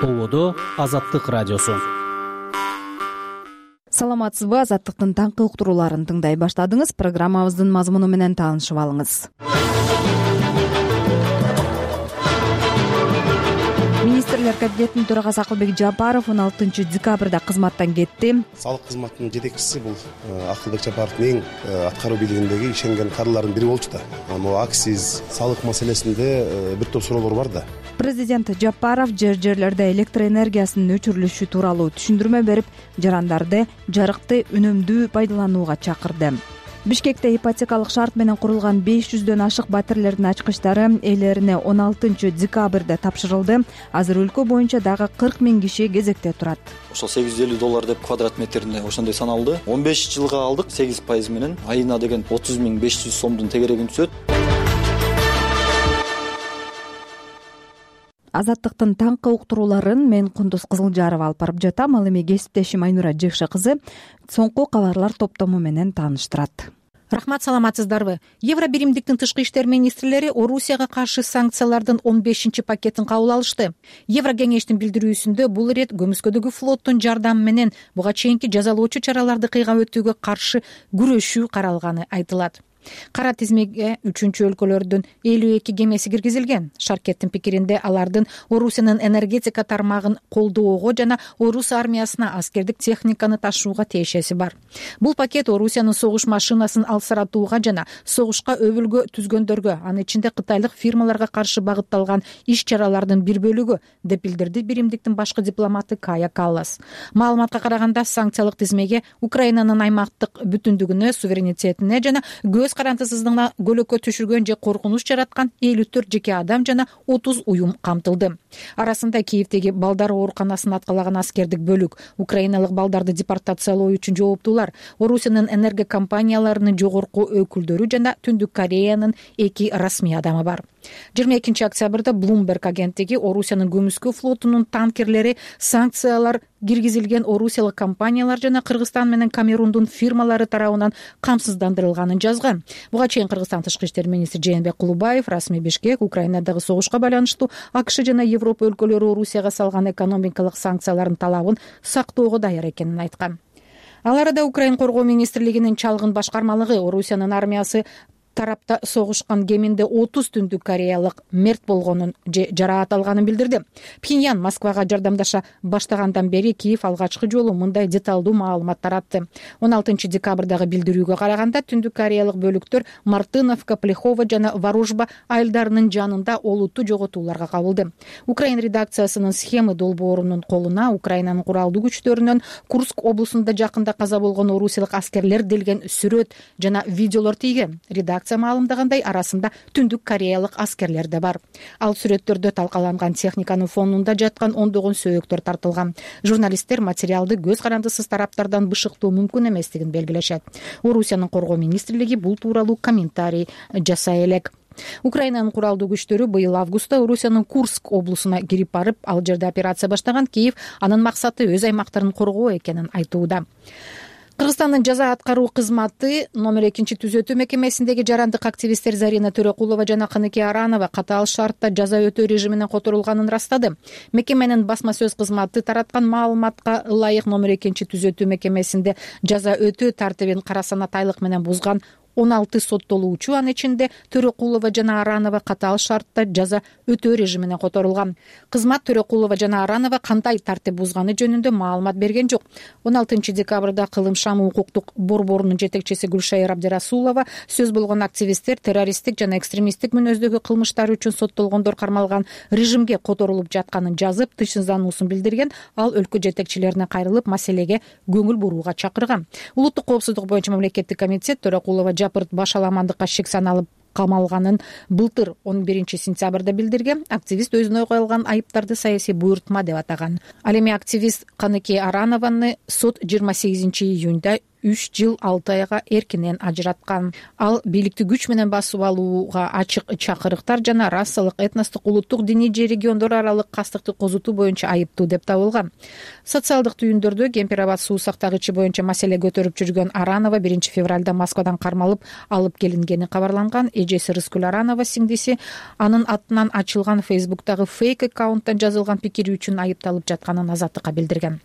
Ободо Азаттык радиосу. Саламатсызбы? Азаттыктын таңкы уктурууларын тыңдай баштадыңыз. Программабыздын мазмуну менен таанышып алыңыз. Министрлер кабинетинин төрагасы Акылбек Жапаров 16 декабрда кызматтан кетти. Салык кызматынын жетекчиси бул Акылбек Жапаровдун эң аткаруу бийлигиндеги ишенген кадрлардын бири болчу да. Могу акциз, салык маселесинде бир топ суроолор бар да. Президент Жапаров жерлерде электр энергиясынын өчүрүлүшү тууралуу түшүндүрмө берип, жарандарды жарыкты үнөмдүү пайдаланууга чакырды. Бишкекте ипотекалык шарт менен курулган 500дөн ашык батирлердин ачкычтары ээлерине 16 декабрда тапшырылды. Азыр өлкө боюнча дагы 40 000 киши кезекте турат. Ошол $850 деп квадрат метрине ошондой саналды. 15 жылга алдык 8% менен айына деген 30 500 сомдун тегерегин түшөт. Азаттыктын таңкы уктурууларын мен Кундуз Кызылжарова алып барып жатам. Ал эми кесиптешим Айнура Жекше кызы соңку кабарлар топтому менен тааныштырат. Рахмат, саламатсыздарбы? Евро биримдиктин тышкы иштер министрлери Орусияга каршы санкциялардын 15 пакетин кабыл алышты. Евро кеңештин билдирүүсүндө бул ирет көмүскөдөгү флоттун жардамы менен буга чейинки жазалоочу чараларды кыйгап өтүүгө каршы күрөшүү каралганы айтылат. Кара тизмеге 3-өлкөлөрдүн 52 кемеси киргизилген. Шаркеттин пикиринде алардын Орусиянын энергетика тармагын колдоого жана Орус армиясына аскердик техниканы ташууга тиешеси бар. Бул пакет Орусиянын согуш машинасын алсыратууга жана согушка өбүлгө түзгөндөргө, анын ичинде кытайлык фирмаларга каршы багытталган иш-чаралардын бир бөлүгү, деп билдирди биримдиктин башкы дипломаты Кая Каллас. Маалыматка караганда, санкциялык тизмеге Украинанын аймактык бүтүндүгүнө, суверенитетине жана көз карандысыздыгына көлөкө түшүргөн же коркунуч жараткан 54 жеке адам жана 30 уюм камтылды. Арасында Киевдеги балдар ооруканасын аткалаган аскердик бөлүк, украиналык балдарды депортациялоо үчүн жооптуулар, Орусиянын энерго компанияларынын жогорку өкүлдөрү жана Түндүк Кореянын 2 расмий адамы бар. 22 октябрда Bloomberg агенттиги Орусиянын көмүскө флотунун танкерлери санкциялар киргизилген орусиялык компаниялар жана Кыргызстан менен Камерундун фирмалары тарабынан камсыздандырылганын жазган. Буга чейин Кыргызстан тышкы иштер министри Жээнбек Кулубаев расмий Бишкек Украинадагы согушка байланыштуу АКШ жана Европа өлкөлөрү Орусияга салган экономикалык санкциялардын талабын сактоого даяр экенин айткан. Ал арада Украин коргоо министрлигинин чалгын башкармалыгы Орусиянын армиясы тарапта согушкан кеминде 30 Түндүк Кореялык мерт болгонун же жараат алганын билдирди. Пхеньян Москвага жардамдаша баштагандан бери Киев алгачкы жолу мындай деталдуу маалымат таратты. 16 декабрдагы билдирүүгө караганда, Түндүк Кореялык бөлүктөр Мартыновка, Плехова жана Варужба айылдарынын жанында олуттуу жоготууларга кабылды. Украин редакциясынын схема долбоорунун колуна Украинанын куралдуу күчтөрүнөн Курск облусунда жакында каза болгон орусиялык аскерлер делген сүрөт жана видеолор тийген. Маалымдагандай, арасында Түндүк Кореялык аскерлер да бар. Ал сүрөттөрдө талкаланган техниканын фонунда жаткан ондогон сөөктөр тартылган. Журналисттер материалды көз карандысыз тараптардан бышыктоо мүмкүн эместигин белгилешет. Орусиянын коргоо министрлиги бул тууралуу комментарий жасай элек. Украинанын куралдуу күчтөрү быйыл августта Орусиянын Курск облусуна кирип барып, ал жерде операция баштаган. Киев анын максаты өз аймактарын коргоо экенин айтууда. Кыргызстандын жаза аткаруу кызматы номер 2 түзөтүү мекемесиндеги жарандык активисттер Зарина Төрөкулова жана Кыныке Аранова катаал шартта жаза өтөө режимине которулганын растады. Мекеменин басма сөз кызматы тараткан маалыматка ылайык номер 2 түзөтүү мекемесинде жаза өтөө тартибин кара санатайлык менен бузган 16 соттолуучу, анын ичинде Төрөкулова жана Аранова катаал шартта жаза өтөө режимине которулган. Кызмат Төрөкулова жана Аранова кандай тартип бузганы жөнүндө маалымат берген жок. 16 декабрда Кылым шамы укуктук борборунун жетекчиси Гүлшайыр Абдирасулова сөз болгон активисттер террористтик жана экстремисттик мүнөздөгү кылмыштар үчүн соттолгондор кармалган режимге которулуп жатканын жазып, тышынзануусун билдирген. Ал өлкө жетекчилерине кайрылып, маселеге көңүл бурууга чакырган. Улуттук коопсуздук боюнча мамлекеттик комитет Төрөкулова жапырт баш аламандыкка шек саналып камалганын былтыр 11 сентябрда билдирген. Активист өзүнө коюлган айыптарды саясий буйртма деп атаган. Ал эми активист Кыныке Аранованы сот 28 июнда 3 жыл 6 айга эркинен ажыраткан. Ал бийликти күч менен басып алууга ачык чакырыктар жана расалык, этностук, улуттук, диний же региондор аралык кастыкты козутуу боюнча айыптуу деп табылган. Социалдык түйүндөрдө Кемпир-Абад суу сактагычы боюнча маселе көтөрүп жүргөн Аранова 1 февралда Москвадан кармалып алып келингени кабарланган. Эжеси Рыскүл Аранова сиңдиси анын атынан ачылган Фейсбуктагы фейк аккаунттан жазылган пикири үчүн айыпталып жатканын Азаттыкка билдирген.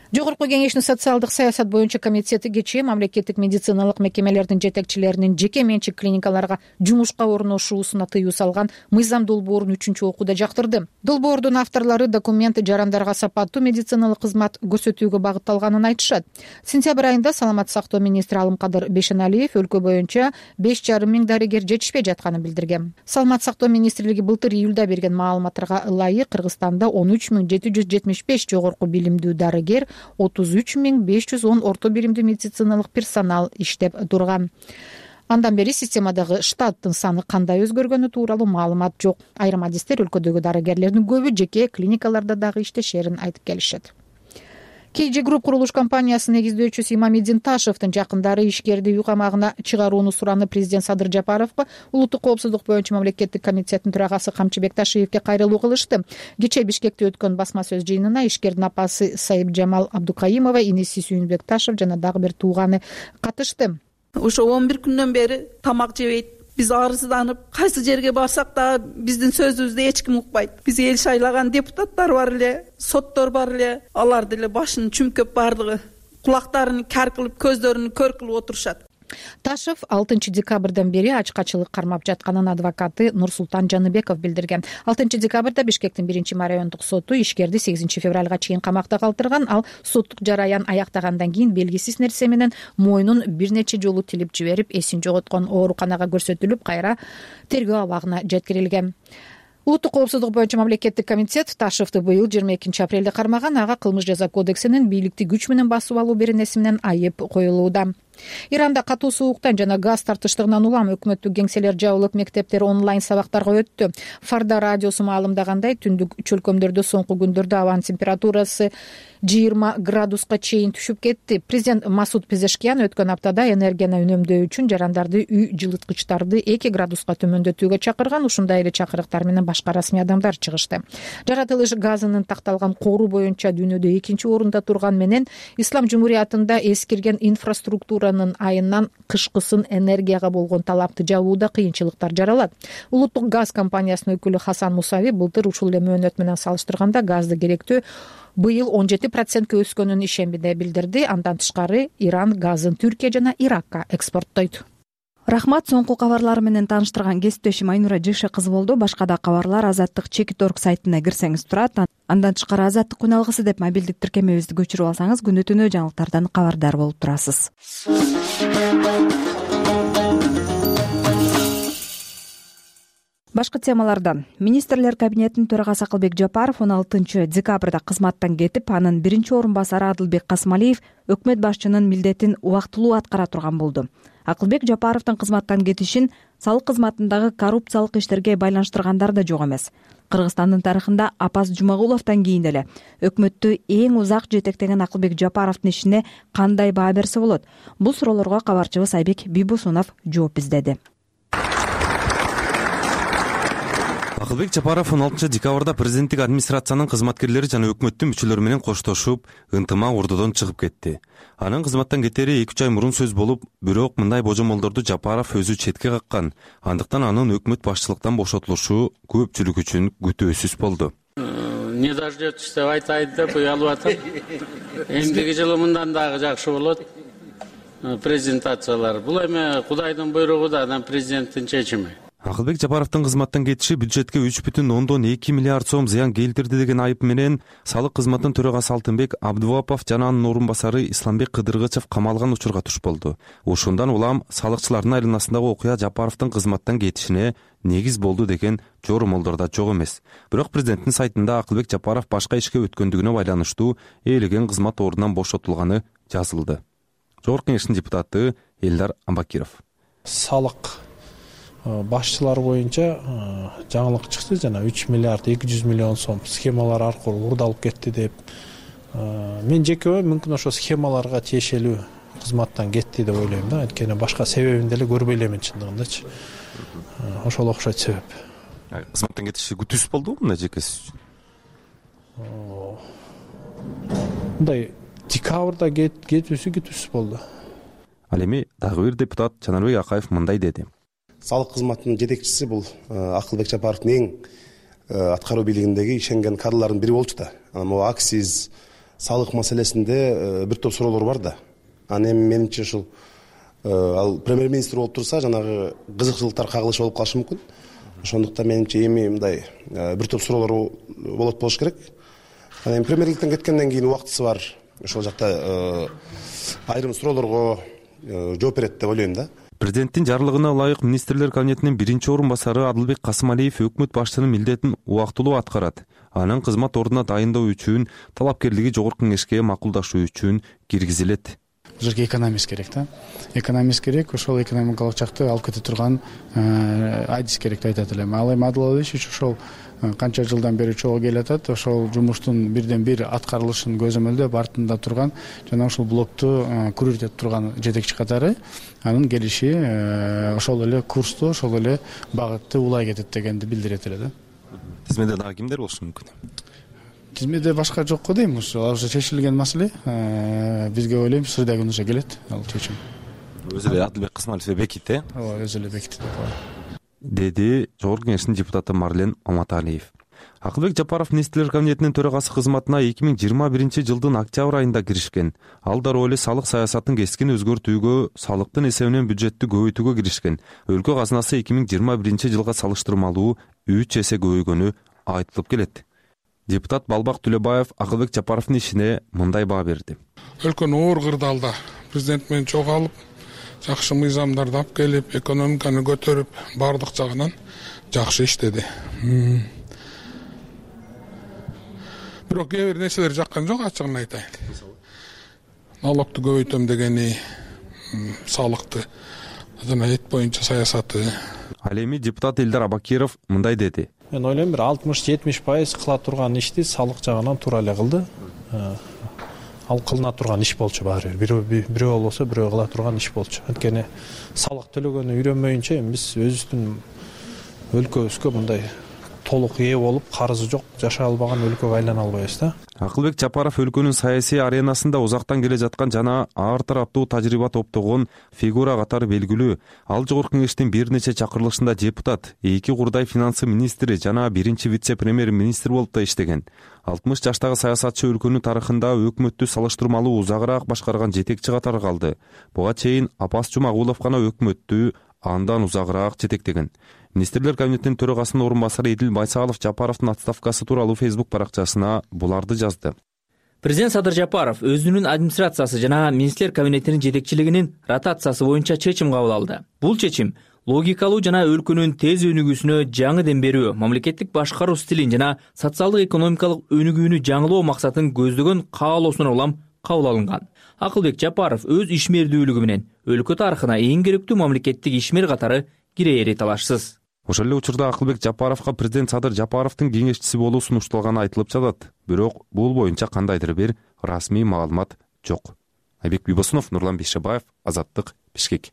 Жогорку кеңештин социалдык саясат боюнча комитети кечээ мамлекеттик медициналык мекемелердин жетекчилеринин жеке менчик клиникаларга жумушка орношуусуна тыюу салган мыйзам долбоорун 3-окууда жактырды. Долбоордун авторлору документ жарандарга сапаттуу медициналык кызмат көрсөтүүгө багытталганын айтышат. Сентябрь айында саламаттык сактоо министри Алымкадыр Бейшеналиев өлкө боюнча 5,5 миң дарыгер жетишпей жатканын билдирген. Саламаттык сактоо министрлиги былтыр июлда берген маалыматтарга ылайык Кыргызстанда 13,775 жогорку билимдүү дарыгер, 33,510 орто биримдүү медициналык персонал иштеп турган. Андан бери системадагы штаттын саны кандай өзгөргөнү тууралуу маалымат жок. Айрым адистер өлкөдөгү дарыгерлердин көбү жеке клиникаларда дагы иштешерин айтып келишет. KG Group курулуш компаниясынын негиздөөчүсү Имамиддин Ташевдин жакындары ишкерди үй камагына чыгарууну сураны президент Садыр Жапаровго, улуттук коопсуздук боюнча мамлекеттик комитеттин төрагасы Камчыбек Ташиевге кайрылуу кылышты. Кечээ Бишкекте өткөн басма сөз жыйынына ишкердин апасы Сайыпжамал Абдукаимова, иниси Сүйүнбек Ташев жана дагы бир тууганы катышты. Ошо 11 күндөн бери тамак жебейт. Биз арызданып, кайсы жерге барсак да биздин сөзүбүздү эч ким укпайт. Биз эл шайлаган депутаттар бар эле, соттор бар эле, алар деле башын чүмкөп бардыгы кулактарын кар кылып, көздөрүн көр кылып отурушат. Ташев 6 декабрдан бери ачкачылык кармап жатканын адвокаты Нурсултан Жаныбеков билдирген. 6 декабрда Бишкектин 1 райондук соту ишкерди 8 февралга чейин камакта калтырган. Ал соттук жараян аяктагандан кийин белгисиз нерсе менен мойнун бир нече жолу тилип жиберип, эсин жоготкон, ооруканага көрсөтүлүп, кайра тергөө абагына жеткирилген. Улуттук коопсуздук боюнча мамлекеттик комитет Ташевди быйыл 22 апрелде кармаган. Ага кылмыш жаза кодексинин бийликти күч менен басып алуу беренеси менен айып коюлууда. Иранда катуу сууктан жана газ тартыштыгынан улам өкмөттүк кеңселер жабылып, мектептер онлайн сабактарга өттү. Фарда радиосу маалымдагандай, түндүк чөлкөмдөрдө соңку күндөрдө абанын температурасы 20 градуска чейин түшүп кетти. Президент Масуд Пезешкиян өткөн аптада энергияны үнөмдөө үчүн жарандарды үй жылыткычтарды 2 градуска төмөндөтүүгө чакырган. Ушундай эле чакырыктар менен башка расмий адамдар чыгышты. Жаратылыш газынын такталган кору боюнча дүйнөдө 2-орунда турган менен Ислам Жумуриятында эскирген инфраструктуранын айынан кышкысын энергияга болгон талапты жабууда кыйынчылыктар жаралат. Улуттук газ компаниясынын өкүлү Хасан Мусави былтыр ушул эле мөөнөт менен салыштырганда газды керектөө быйыл 17% өскөнүн ишембиде билдирди. Андан тышкары Иран газын Түркия жана Иракка экспорттойт. Рахмат, соңку кабарлар менен тааныштырган кесиптешим Айнура Жышы кызы болду. Башка да кабарлар Азаттык.org сайтына кирсеңиз турат. Андан тышкары Азаттык күн алгысы деп мобилдик тиркемебизди көчүрүп алсаңыз күнү түнү жаңылыктардан кабардар болуп турасыз. Башкы темалардан. Министрлер кабинетинин төрагасы Акылбек Жапаров 16 декабрда кызматтан кетип, анын биринчи орун басары Адылбек Касмалиев өкмөт башчынын милдетин убактылуу аткара турган болду. Акылбек Жапаровдун кызматтан кетишин салык кызматындагы коррупциялык иштерге байланыштыргандар да жок эмес. Кыргызстандын тарыхында Апас Жумагуловдон кийин эле өкмөттү эң узак жетектеген Акылбек Жапаровдун ишине кандай баа берсе болот? Бул суроолорго кабарчыбыз Айбек Бибусунов жооп издеди. Акылбек Жапаров 16 декабрда президенттик администрациянын кызматкерлери жана өкмөттүн мүчөлөрү менен коштошуп, ынтымак ордодон чыгып кетти. Анын кызматтан кетери 2 ай мурун сөз болуп, бирок мындай божомолдорду Жапаров өзү четке каккан. Андыктан анын өкмөт башчылыктан бошотулушу көпчүлүк үчүн күтүүсүз болду. Не дождётесь деп айтайын деп уялып атам. Эмдиги жылы мындан дагы жакшы болот. Презентациялар. Бул эми Кудайдын буйругу да, анан президенттин чечими. Акылбек Жапаровдун кызматтан кетиши бюджетке 3,2 миллиард сом зыян келтирди деген айып менен салык кызматынын төрагасы Алтынбек Абдубапов жана анын орун басары Исламбек Кыдыргычев камалган учурга туш болду. Ошондон улам салыкчылардын айланасындагы окуя Жапаровдун кызматтан кетишине негиз болду деген жоромолдор да жок эмес. Бирок президенттин сайтында Акылбек Жапаров башка ишке өткөндүгүнө байланыштуу ээлеген кызмат ордунан бошотулганы жазылды. Жогорку кеңештин депутаты Элдар Амбакиров. Салык башчылар боюнча жаңылык чыкты, жана 3 миллиард 200 миллион сом схемалар аркылуу урдалып кетти деп. Мен жеке мүмкүн ошо схемаларга тиешелүү кызматтан кетти деп ойлойм да. Анткени башка себебин деле көрбөй элемин чындыгындачы. Ошол окшойт себеп. Кызматтан кетиши күтүүсүз болдубу мындай жеке сиз үчүн? Мындай декабрда кетүүсү күтүүсүз болду. Ал эми дагы бир депутат Жанарбек Акаев мындай деди. Салык кызматынын жетекчиси бул Акылбек Жапаровдун эң аткаруу бийлигиндеги ишенген кадрлардын бири болчу да. Могу акциз, салык маселесинде бир топ суроолор бар да. Эми менимче ушул ал премьер-министр болуп турса, жанагы кызыкчылыктар кагылышы болуп калышы мүмкүн. Ошондуктан менимче эми мындай бир топ суроолор болуш керек. Эми премьерликтен кеткенден кийин убактысы бар. Ошол жакта айрым суроолорго жооп берет деп ойлойм да. Президенттин жарлыгына ылайык министрлер кабинетинин биринчи орун басары Адылбек Касымалиев өкмөт башчысынын милдетин убактылуу аткарат. Анын кызмат ордуна дайындоо үчүн талапкерлиги жогорку кеңешке макулдашуу үчүн киргизилет. Жерге экономист керек да. Экономист керек, ошол экономикалык жакты алып кете турган адис керек деп айтат элем. Ал эми Адыл Алиевич ошол канча жылдан бери чогуу келатат, ошол жумуштун бирден бир аткарылышын көзөмөлдөп артында турган жана ошол блокту күрөтүп турган жетекчи катары анын келиши ошол эле курсту, ошол эле багытты улай кетет дегенди билдирет эле да. Тизмеде дагы кимдер болушу мүмкүн? Тизмеде башка жок го дейм. Ал уже чечилген маселе. Бизге ойлойм сырдай күнүнө келет ал чечим. Өзү эле Адылбек Касымалиев бекитти. Ооба, өзү эле бекитти деди жогорку кеңештин депутаты Марлен Маматалиев. Акылбек Жапаров министрлер кабинетинин төрагасы кызматына 2021 жылдын октябрь айында киришкен. Ал дароо эле салык саясатын кескин өзгөртүүгө, салыктын эсебинен бюджетти көбөйтүүгө киришкен. Өлкө казынасы 2021 жылга салыштырмалуу 3 эсе көбөйгөнү айтылып келет. Депутат Балбак Түлөбаев Акылбек Жапаровдун ишине мындай баа берди. Өлкөнү оор кырдаалда президент менен чогуу алып, жакшы мыйзамдарды алып келип, экономиканы көтөрүп, бардык жагынан жакшы иштеди. Бирок кээ бир нерселер жаккан жок, ачыгын айтайын. Налогту көбөйтөм дегени, салыкты жана эт боюнча саясаты. Ал эми депутат Элдар Абакиров мындай деди. Мен ойлойм бир 60-70% кыла турган ишти салык жагынан туура эле кылды. Ал кылына турган иш болчу баары бир. Бирөө болбосо бирөө кыла турган иш болчу. Анткени салык төлөгөнү үйрөнмөйүнчө биз өзүбүздүн өлкөбүзгө мындай толук ээ болуп, карызы жок, жашай албаган өлкөгө айлана албайбыз да. Акылбек Жапаров өлкөнүн саясий аренасында узактан келе жаткан жана ар тараптуу тажрыйба топтогон фигура катары белгилүү. Ал жогорку кеңештин бир нече чакырылышында депутат, 2 курдай финансы министри жана 1 вице-премьер-министр болуп да иштеген. 60 жаштагы саясатчы өлкөнүн тарыхында өкмөттү салыштырмалуу узагыраак башкарган жетекчи катары калды. Буга чейин Апас Жумагулов гана өкмөттү андан узагыраак жетектеген. Министрлер кабинетинин төрагасынын орун басары Эдил Байсалов Жапаровдун отставкасы тууралуу Facebook баракчасына буларды жазды. Президент Садыр Жапаров өзүнүн администрациясы жана министрлер кабинетинин жетекчилигинин ротациясы боюнча чечим кабыл алды. Бул чечим логикалуу жана өлкөнүн тез өнүгүүсүнө жаңы дем берүү, мамлекеттик башкаруу стилин жана социалдык экономикалык өнүгүүнү жаңылоо максатын көздөгөн каалоосуна улам кабыл алынган. Акылбек Жапаров өз ишмердүүлүгү менен өлкө тарыхына эң керектүү мамлекеттик ишмер катары кирээри талашсыз. Ошол эле учурда Акылбек Жапаровго президент Садыр Жапаровдун кеңешчиси болуу сунушталганы айтылып жатат. Бирок бул боюнча кандайдыр бир расмий маалымат жок. Айбек Бибосунов, Нурлан Бейшебаев, Азаттык, Бишкек.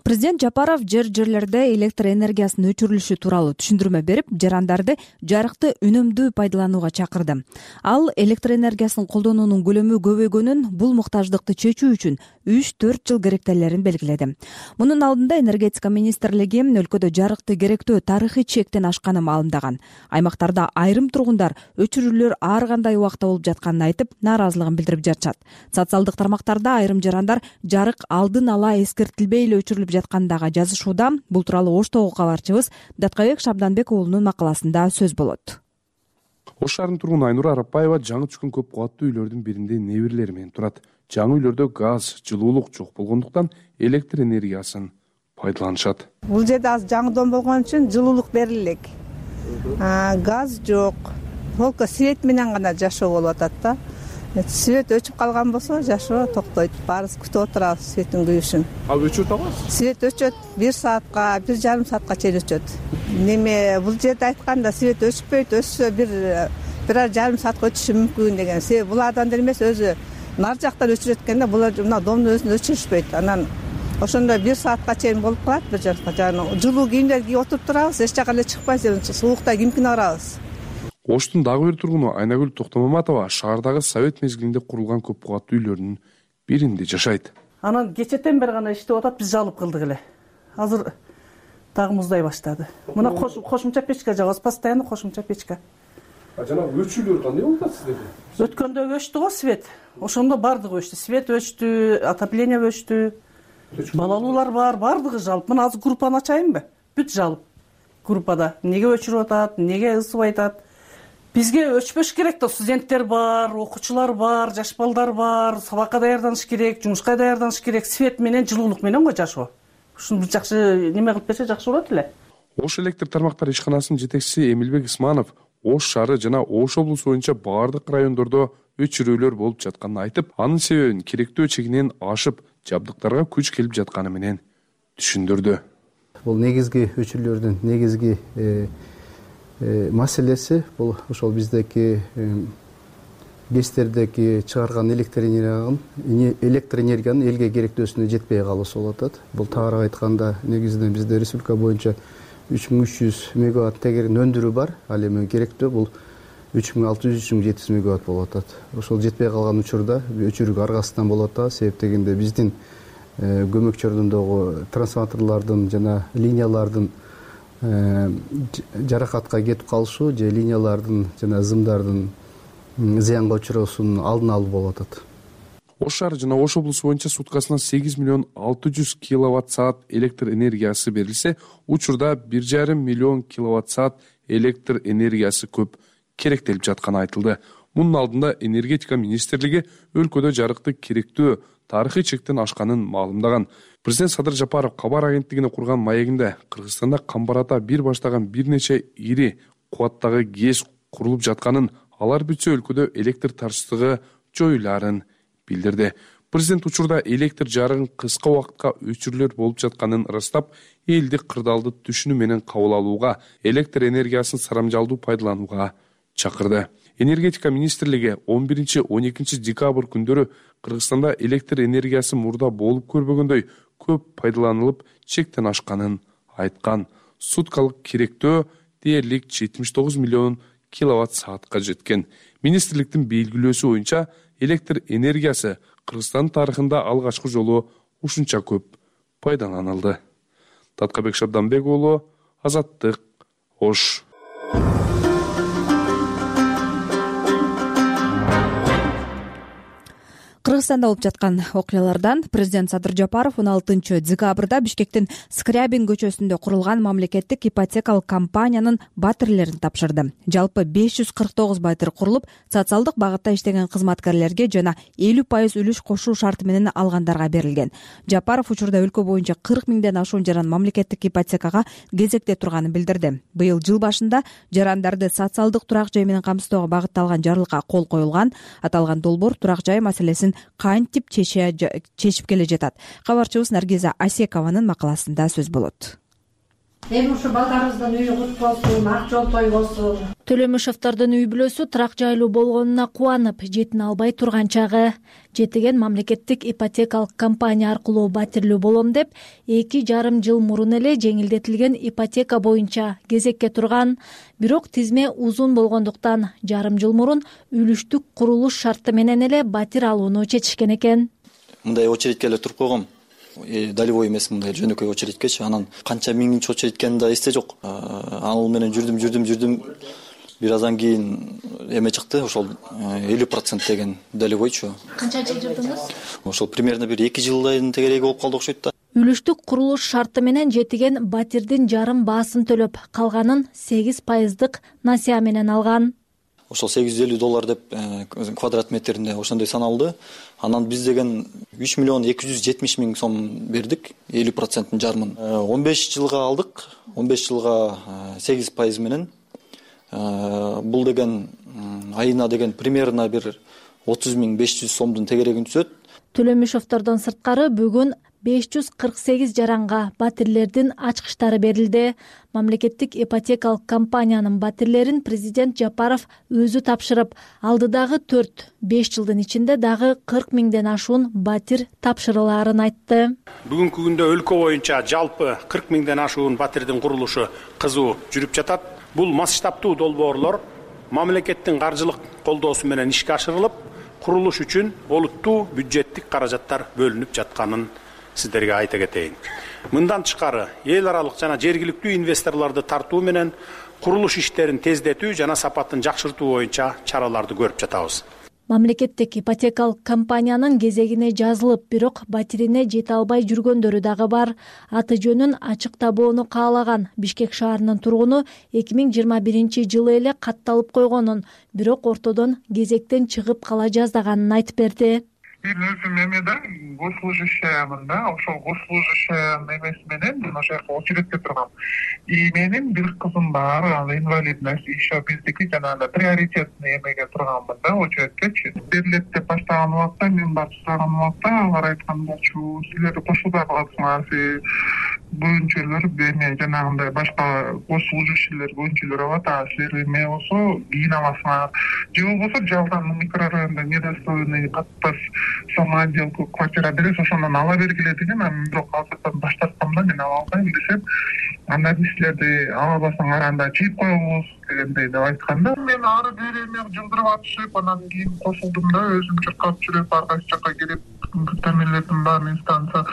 Президент Жапаров жерлерде электр энергиясынын өчүрүлүшү тууралуу түшүндүрмө берип, жарандарды жарыкты үнөмдүү пайдаланууга чакырды. Ал электр энергиясын колдонуунун көлөмү көбөйгөнүн, бул муктаждыкты чечүү үчүн 3-4 жыл керектелерин белгиледи. Мунун алдында энергетика министрлиги өлкөдө жарыкты керектөө тарыхый чектен ашканын маалымдаган. Аймактарда айрым тургундар өчүрүүлөр ар кандай убакта болуп жатканын айтып, нааразылыгын билдирип жатышат. Социалдык тармактарда айрым жарандар жарык алдын ала эскертилбей эле өчүрүлүп жаткандагы жазышууда. Бул тууралуу Оштогу кабарчыбыз Даткабек Шабданбек уулунун макаласында сөз болот. Ош шаарынын тургуну Айнура Арапбаева жаңы түшкөн көп кубаттуу үйлөрдүн биринде неберелери менен турат. Жаңы үйлөрдө газ, жылуулук жок болгондуктан электр энергиясын пайдаланышат. Бул жерде азыр жаңы дом болгон үчүн жылуулук бериле элек. Газ жок. Только свет менен гана жашоо болуп атат да. Свет өчүп калган болсо жашоо токтойт. Баарыбыз күтүп отурабыз светтин күйүүсүн. Өчүп атабыз? Свет өчөт 1 саатка, 1,5 саатка чейин өчөт. Неме бул жерде айтканда свет өчпөйт, өчсө 1,5 саатка өчүшү мүмкүн деген. Себеби булардан эле эмес, өзү нар жактан өчүрөткөндө булар мына домдун өзүн өчүрүшпөйт. Анан ошондо 1 саатка чейин болуп калат. Бир жарымга жанагы жылуу кийимдер кийип отуруп турабыз, эч жака эле чыкпайбыз, суукта кимкине барабыз. Оштун дагы бир тургуну Айнагүл Токтомаматова шаардагы Совет мезгилинде курулган көп кубаттуу үйлөрдүн биринде жашайт. Анан кечетен бери гана иштеп атат, биз жалып кылдык эле. Азыр дагы муздай баштады. Мына кошумча печка жабабыз, постоянно кошумча печка. Жанагы өчүүлөр кандай болуп атат сиздерде? Өткөндө өчтү го свет. Ошондо бардыгы өчтү. Свет өчтү, отопление өчтү. Балалуулар бар, бардыгы жалып. Мына азыр группаны ачайынбы? Бүт жалып. Группада эмнеге өчүрүп атат, эмнеге ысыбай атат? Бизге өчпөш керек да, студенттер бар, окуучулар бар, жаш балдар бар, сабакка даярданыш керек, жумушка даярданыш керек, свет менен, жылуулук менен го жашоо. Ушуну бир жакшы неме кылып берсе жакшы болот эле. Ош электр тармактары ишканасынын жетекчиси Эмилбек Исманов Ош шаары жана Ош облусу боюнча баардык райондордо өчүрүүлөр болуп жатканын айтып, анын себебин керектөө чегинен ашып, жабдыктарга күч келип жатканы менен түшүндүрдү. Бул негизги өчүрүүлөрдүн негизги маселеси бул ошол биздеки ГЭСтердеки чыгарган электр энергиянын элге керектөөсүнө жетпей калуусу болуп атат. Бул тагыраак айтканда негизинен бизде республика боюнча 3300 мегаватт тегерин өндүрүү бар. Ал эми керектөө бул 3600-3700 мегаватт болуп атат. Ошол жетпей калган учурда өчүрүүгө аргасыздан болуп атат. Себеп дегенде биздин көмөк чордундагы трансформаторлордун жана линиялардын жаракатка кетип калышы же линиялардын жана зымдардын зыянга учуроосунун алдын алуу болуп атат. Ош шаары жана Ош облусу боюнча суткасына 8 миллион 600 киловатт саат электр энергиясы берилсе, учурда 1,5 миллион киловатт саат электр энергиясы көп керектелип жатканы айтылды. Мунун алдында энергетика министрлиги өлкөдө жарыкты керектөө тарыхый чектен ашканын маалымдаган. Президент Садыр Жапаров кабар агенттигине курган маегинде Кыргызстанда камбарата бир баштаган бир нече ири кубаттагы ГЭС курулуп жатканын, алар бүтсө өлкөдө электр тартыштыгы жоюларын билдирди. Президент учурда электр жарыгын кыска убакытка өчүрүүлөр болуп жатканын ырастап, элди кырдаалды түшүнүү менен кабыл алууга, электр энергиясын сарамжалдуу пайдаланууга чакырды. Энергетика министрлиги 11-12 декабрь күндөрү Кыргызстанда электр энергиясы мурда болуп көрбөгөндөй көп пайдаланылып, чектен ашканын айткан. Суткалык керектөө дээрлик 79 миллион киловатт саатка жеткен. Министрликтин белгилөөсү боюнча электр энергиясы Кыргызстан тарыхында алгачкы жолу ушунча көп пайдаланылды. Таткабек Шабданбек уулу, Азаттык, Ош. Кыргызстанда болуп жаткан окуялардан президент Садыр Жапаров 16 декабрда Бишкектин Скрябин көчөсүндө курулган мамлекеттик ипотекалык компаниянын батирлерин тапшырды. Жалпы 549 батир курулуп, социалдык багытта иштеген кызматкерлерге жана 50% үлүш кошуу шарты менен алгандарга берилген. Жапаров учурда өлкө боюнча 40 миңден ашуун жаран мамлекеттик ипотекага кезекте турганын билдирди. Быйыл жыл башында жарандарды социалдык турак жай менен камсыздоого багытталган жарлыкка кол коюлган. Аталган долбоор турак жай маселесин кантип чечип келе жатат? Кабарчыбыз Наргиза Асекованын макаласында сөз болот. Эми ушу балдарыбыздын үйү кут болсун, ак жол той болсун. Төлөмүшовдордун үй бүлөсү турак жайлуу болгонуна кубанып, жетине албай турган чагы. Жетиген мамлекеттик ипотекалык компания аркылуу батирлүү болом деп 2,5 жыл мурун эле жеңилдетилген ипотека боюнча кезекке турган. Бирок тизме узун болгондуктан жарым жыл мурун үлүштүк курулуш шарты менен эле батир алууну чечишкен экен. Мындай очередке эле туруп койгом. Долевой эмес, мындай жөнөкөй очередкечи. Анан канча миңинчи очередь экенин да эсте жок. Ал менен жүрдүм. Бир аздан кийин эме чыкты, ошол 50% деген долевойчу. Канча жыл жүрдүңүз? Ошол примерно бир 2 жылдын тегереги болуп калды окшойт да. Үлүштүк курулуш шарты менен жетиген батирдин жарым баасын төлөп, калганын 8% насыя менен алган. Ошол $850 деп квадрат метринде ошондой саналды. Анан биз деген 3 миллион 270 миң сом бердик, 50%-ын жарымын. 15 жылга алдык, 15 жылга 8% менен. Бул деген айына деген примерно бир 30 500 сомдун тегерегин түзөт. Төлөмүшовдордон сырткары бүгүн 548 жаранга батирлердин ачкычтары берилди. Мамлекеттик ипотекалык компаниянын батирлерин президент Жапаров өзү тапшырып, алдыдагы 4-5 жылдын ичинде дагы 40 миңден ашуун батир тапшырылаарын айтты. Бүгүнкү күндө өлкө боюнча жалпы 40 миңден ашуун батирдин курулушу кызуу жүрүп жатат. Бул масштабтуу долбоорлор мамлекеттин каржылык колдоосу менен ишке ашырылып, курулуш үчүн олуттуу бюджеттик каражаттар бөлүнүп жатканын сиздерге айта кетейин. Мындан тышкары эл аралык жана жергиликтүү инвесторлорду тартуу менен курулуш иштерин тездетүү жана сапатын жакшыртуу боюнча чараларды көрүп жатабыз. Мамлекеттик ипотекалык компаниянын кезегине жазылып, бирок батирине жете албай жүргөндөрү дагы бар. Аты жөнүн ачыктабоону каалаган Бишкек шаарынын тургуну 2021 эле катталып койгонун, бирок ортодон кезектен чыгып кала жаздаганын айтып берди. Мен өзүм эмеде госслужащиямын да, ошол госслужащия эмеси менен мен ошол жака очередте тургам. И менин бир кызым бар, ал инвалидность, еще биздики жанагы приоритетный эмеге турганмын да, очередкечи. Берилет деп баштаган убакта, мен барып сураган убакта алар айткандарчу, силер кошулбай каласыңар, бөлүнчөлөр эме жанагындай башка госслужащийлер бөлүнчөлөр алат, силер эме болсо кийин аласыңар. Же болбосо жалдан микрорайондо недостроенный катташ самоотделку квартира беребиз, ошондон ала бергиле деген. Бирок азырдан баштаткам да, мен ала албайм десем, анда силерди ала албасаңар анда чийип коебуз дегендей деп айтканда, мен ары бери эме жылдырып атышып, анан кийин кошулдум да, өзүм чыркап жүрүп ар кайсы жака келип, бүттөмөлөрдүн баарын инстанция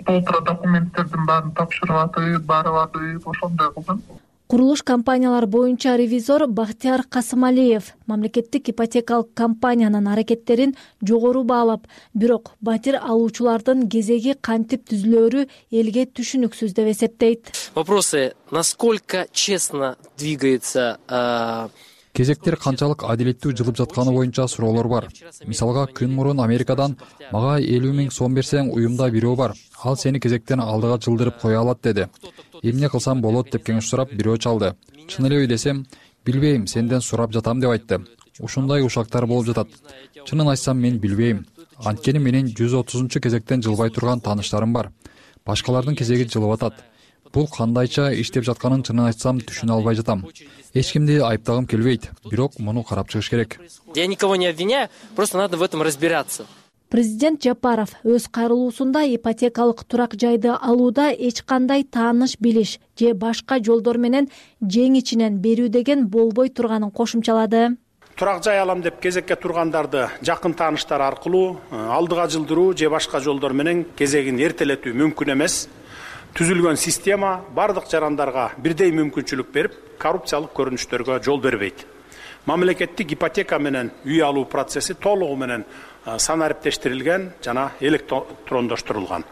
полтора документтердин баарын тапшырып атып, барып атып, ошондой кылдым. Курулуш компаниялар боюнча ревизор Бактияр Касымалиев мамлекеттик ипотекалык компаниянын аракеттерин жогору баалап, бирок батир алуучулардын кезеги кантип түзүлөөрү элге түшүнүксүз деп эсептейт. Вопросы: насколько честно двигается кезектер канчалык адилеттүү жылып жатканы боюнча суроолор бар. Мисалга, күн мурун Америкадан мага 50 миң сом берсең, уюмда бирөө бар, ал сени кезектен алдыга жылдырып кое алат деди. Эмне кылсам болот деп кеңеш сурап, бирөө чалды. Чын элеби десем, билбейм, сенден сурап жатам деп айтты. Ушундай ушактар болуп жатат. Чынын айтсам, мен билбейм. Анткени менин 130 кезектен жылбай турган тааныштарым бар. Башкалардын кезеги жылып атат. Бул кандайча иштеп жатканын чынын айтсам түшүнө албай жатам. Эч кимди айыптагым келбейт, бирок муну карап чыгыш керек. Я никого не обвиняю, просто надо в этом разбираться. Президент Жапаров өз кайрылуусунда ипотекалык турак жайды алууда эч кандай тааныш билиш же башка жолдор менен жең ичинен берүү деген болбой турганын кошумчалады. Турак жай алам деп кезекке тургандарды жакын тааныштар аркылуу алдыга жылдыруу же башка жолдор менен кезегин эртелетүү мүмкүн эмес. Түзүлгөн система бардык жарандарга бирдей мүмкүнчүлүк берип, коррупциялык көрүнүштөргө жол бербейт. Мамлекеттик ипотека менен үй алуу процесси толугу менен санариптештирилген жана электрондоштурулган.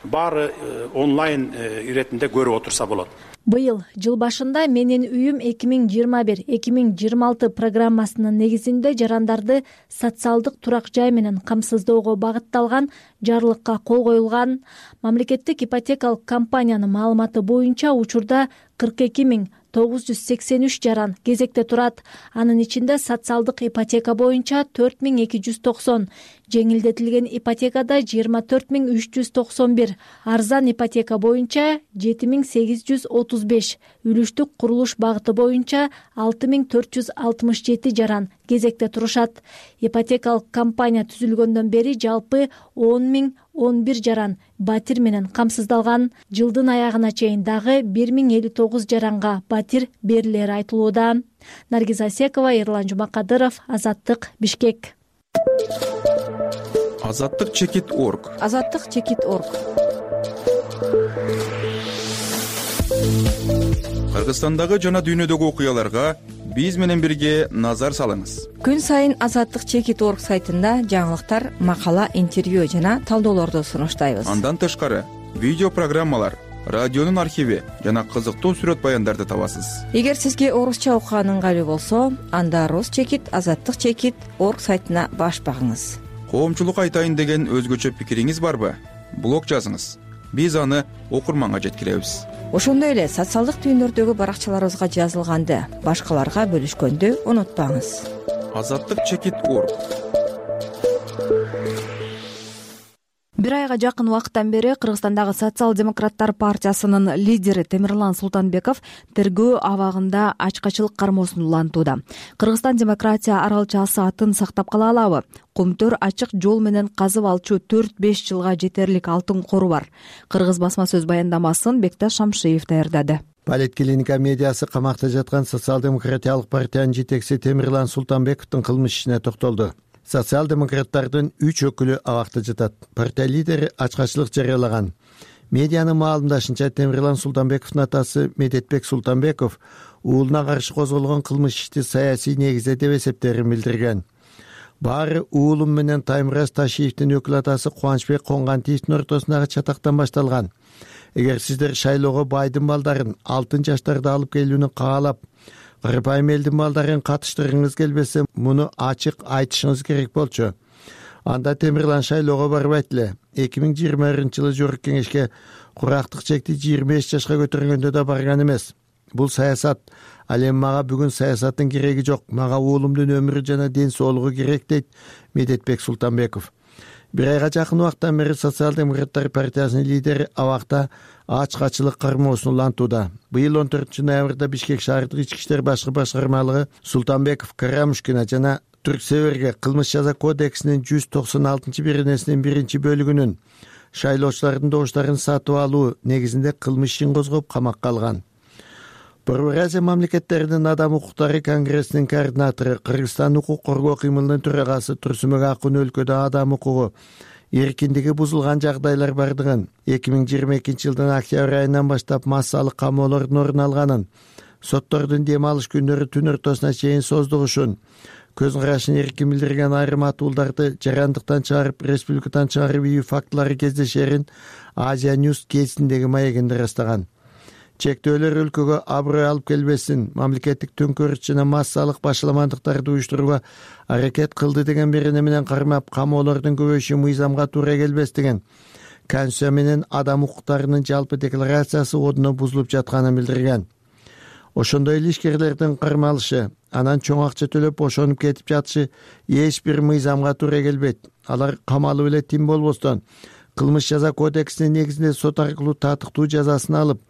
Баары онлайн иретинде көрүп отурса болот. Быйыл жыл башында менин үйүм 2021-2026 программасынын негизинде жарандарды социалдык турак жай менен камсыздоого багытталган жарлыкка кол коюлган. Мамлекеттик ипотекалык компаниянын маалыматы боюнча учурда 42.983 жаран кезекте турат. Анын ичинде социалдык ипотека боюнча 4290, жеңилдетилген ипотекада 24391, арзан ипотека боюнча 7835, үлүштүк курулуш багыты боюнча 6467 жаран кезекте турушат. Ипотекалык компания түзүлгөндөн бери жалпы 10.011 жаран батир менен камсыздалган. Жылдын аягына чейин дагы 1059 жаранга батир берилери айтылууда. Наргиз Асекова, Эрлан Жумакадыров, Азаттык, Бишкек. Азаттык-чекит.org. Азаттык-чекит.org. Кыргызстандагы жана дүйнөдөгү окуяларга биз менен бирге назар салыңыз. Күн сайын Азаттык-чекит.org сайтында жаңылыктар, макала, интервью жана талдоолорду сунуштайбыз. Андан тышкары видео программалар, радионун архиви жана кызыктуу сүрөт баяндарды табасыз. Эгер сизге орусча окуган ыңгайлуу болсо, анда Рус-чекит, Азаттык-чекит.org сайтына баш багыңыз. Коомчулук айтайын деген өзгөчө пикириңиз барбы? Блог жазыңыз. Биз аны окурманга жеткиребиз. Ошондой эле социалдык түйүндөрдөгү баракчаларыбызга жазылганды башкаларга бөлүшкөндү унутпаңыз. Азаттык-чекит.org. бир айга жакын убакыттан бери Кыргызстандагы Социал-демократтар партиясынын лидери Темирлан Султанбеков тергөө абагында ачкачылык кармоосун улантууда. Кыргызстан демократия аралчасы атын сактап кала алабы? Кумтөр ачык жол менен казып алчу 4-5 жылга жетерлик алтын кору бар. Кыргыз басма сөз баяндамасын Бекташ Шамшиев даярдады. Политклиника медиасы камакта жаткан Социал-демократиялык партиянын жетекчиси Темирлан Султанбековдун кылмыш ишине токтолду. Социал-демократтардын 3 өкүлү абакта жатат. Партия лидери ачкачылык жарыялаган. Медианын маалымдашынча, Темирлан Султанбековдун атасы Медетбек Султанбеков уулуна каршы козголгон кылмыш ишти саясий негизде деп эсептерин билдирген. Баары уулум менен Таймураз Ташиевдин өкүл атасы Кубанычбек Коңгантиевдин ортосундагы чатактан башталган. Эгер сиздер шайлоого байдын балдарын, алтын жаштарды алып келүүнү каалап, кырпайым элдин балдарын катыштыргыңыз келбесе, муну ачык айтышыңыз керек болчу. Анда Темирлан шайлоого барбайт эле. 2021-жылы жогорку кеңешке курактык чекти 25 жашка көтөргөндө да барган эмес. Бул саясат. Ал эми мага бүгүн саясаттын кереги жок. Мага уулумдун өмүрү жана ден соолугу керек, дейт Медетбек Султанбеков. Бир айга жакын убакыттан бери Социал-демократтар партиясынын лидери абакта ачкачылык кармоосун улантууда. Быйыл 14-ноябрда Бишкек шаардык ички иштер башкармалыгы Султанбеков, Карамушкина жана Түрксеверге кылмыш жаза кодексинин 196-беренесинин 1-бөлүгүнүн шайлоочулардын добуштарын сатып алуу негизинде кылмыш ишин козгоп камакка алган. Борбор Азия мамлекеттеринин адам укуктары конгрессинин координатору, Кыргызстан укук коргоо кыймылынын төрагасы Турсунбек Акун өлкөдө адам укугу эркиндиги бузулган жагдайлар бардыгын, 2022-жылдын октябрь айынан баштап массалык камоолордун орун алганын, соттордун дем алыш күндөрү түн ортосуна чейин создугушун, көз карашын эркин билдирген айрым атуулдарды жарандыктан чыгарып, республикадан чыгарып ийүү фактылары кездешерин Азия News кезиндеги маегинде ырастаган. Чектөөлөр өлкөгө аброй алып келбесин, мамлекеттик төңкөрүш жана массалык башаламандыктарды уюштурууга аракет кылды деген берене менен кармап, камоолордун көбөйүшү мыйзамга туура келбес деген Конституция менен адам укуктарынын жалпы декларациясы ордуна бузулуп жатканын билдирген. Ошондой эле ишкерлердин кармалышы, анан чоң акча төлөп бошонуп кетип жатышы эч бир мыйзамга туура келбейт. Алар камалып эле тим болбостон, кылмыш жаза кодексинин негизинде сот аркылуу татыктуу жазасын алып,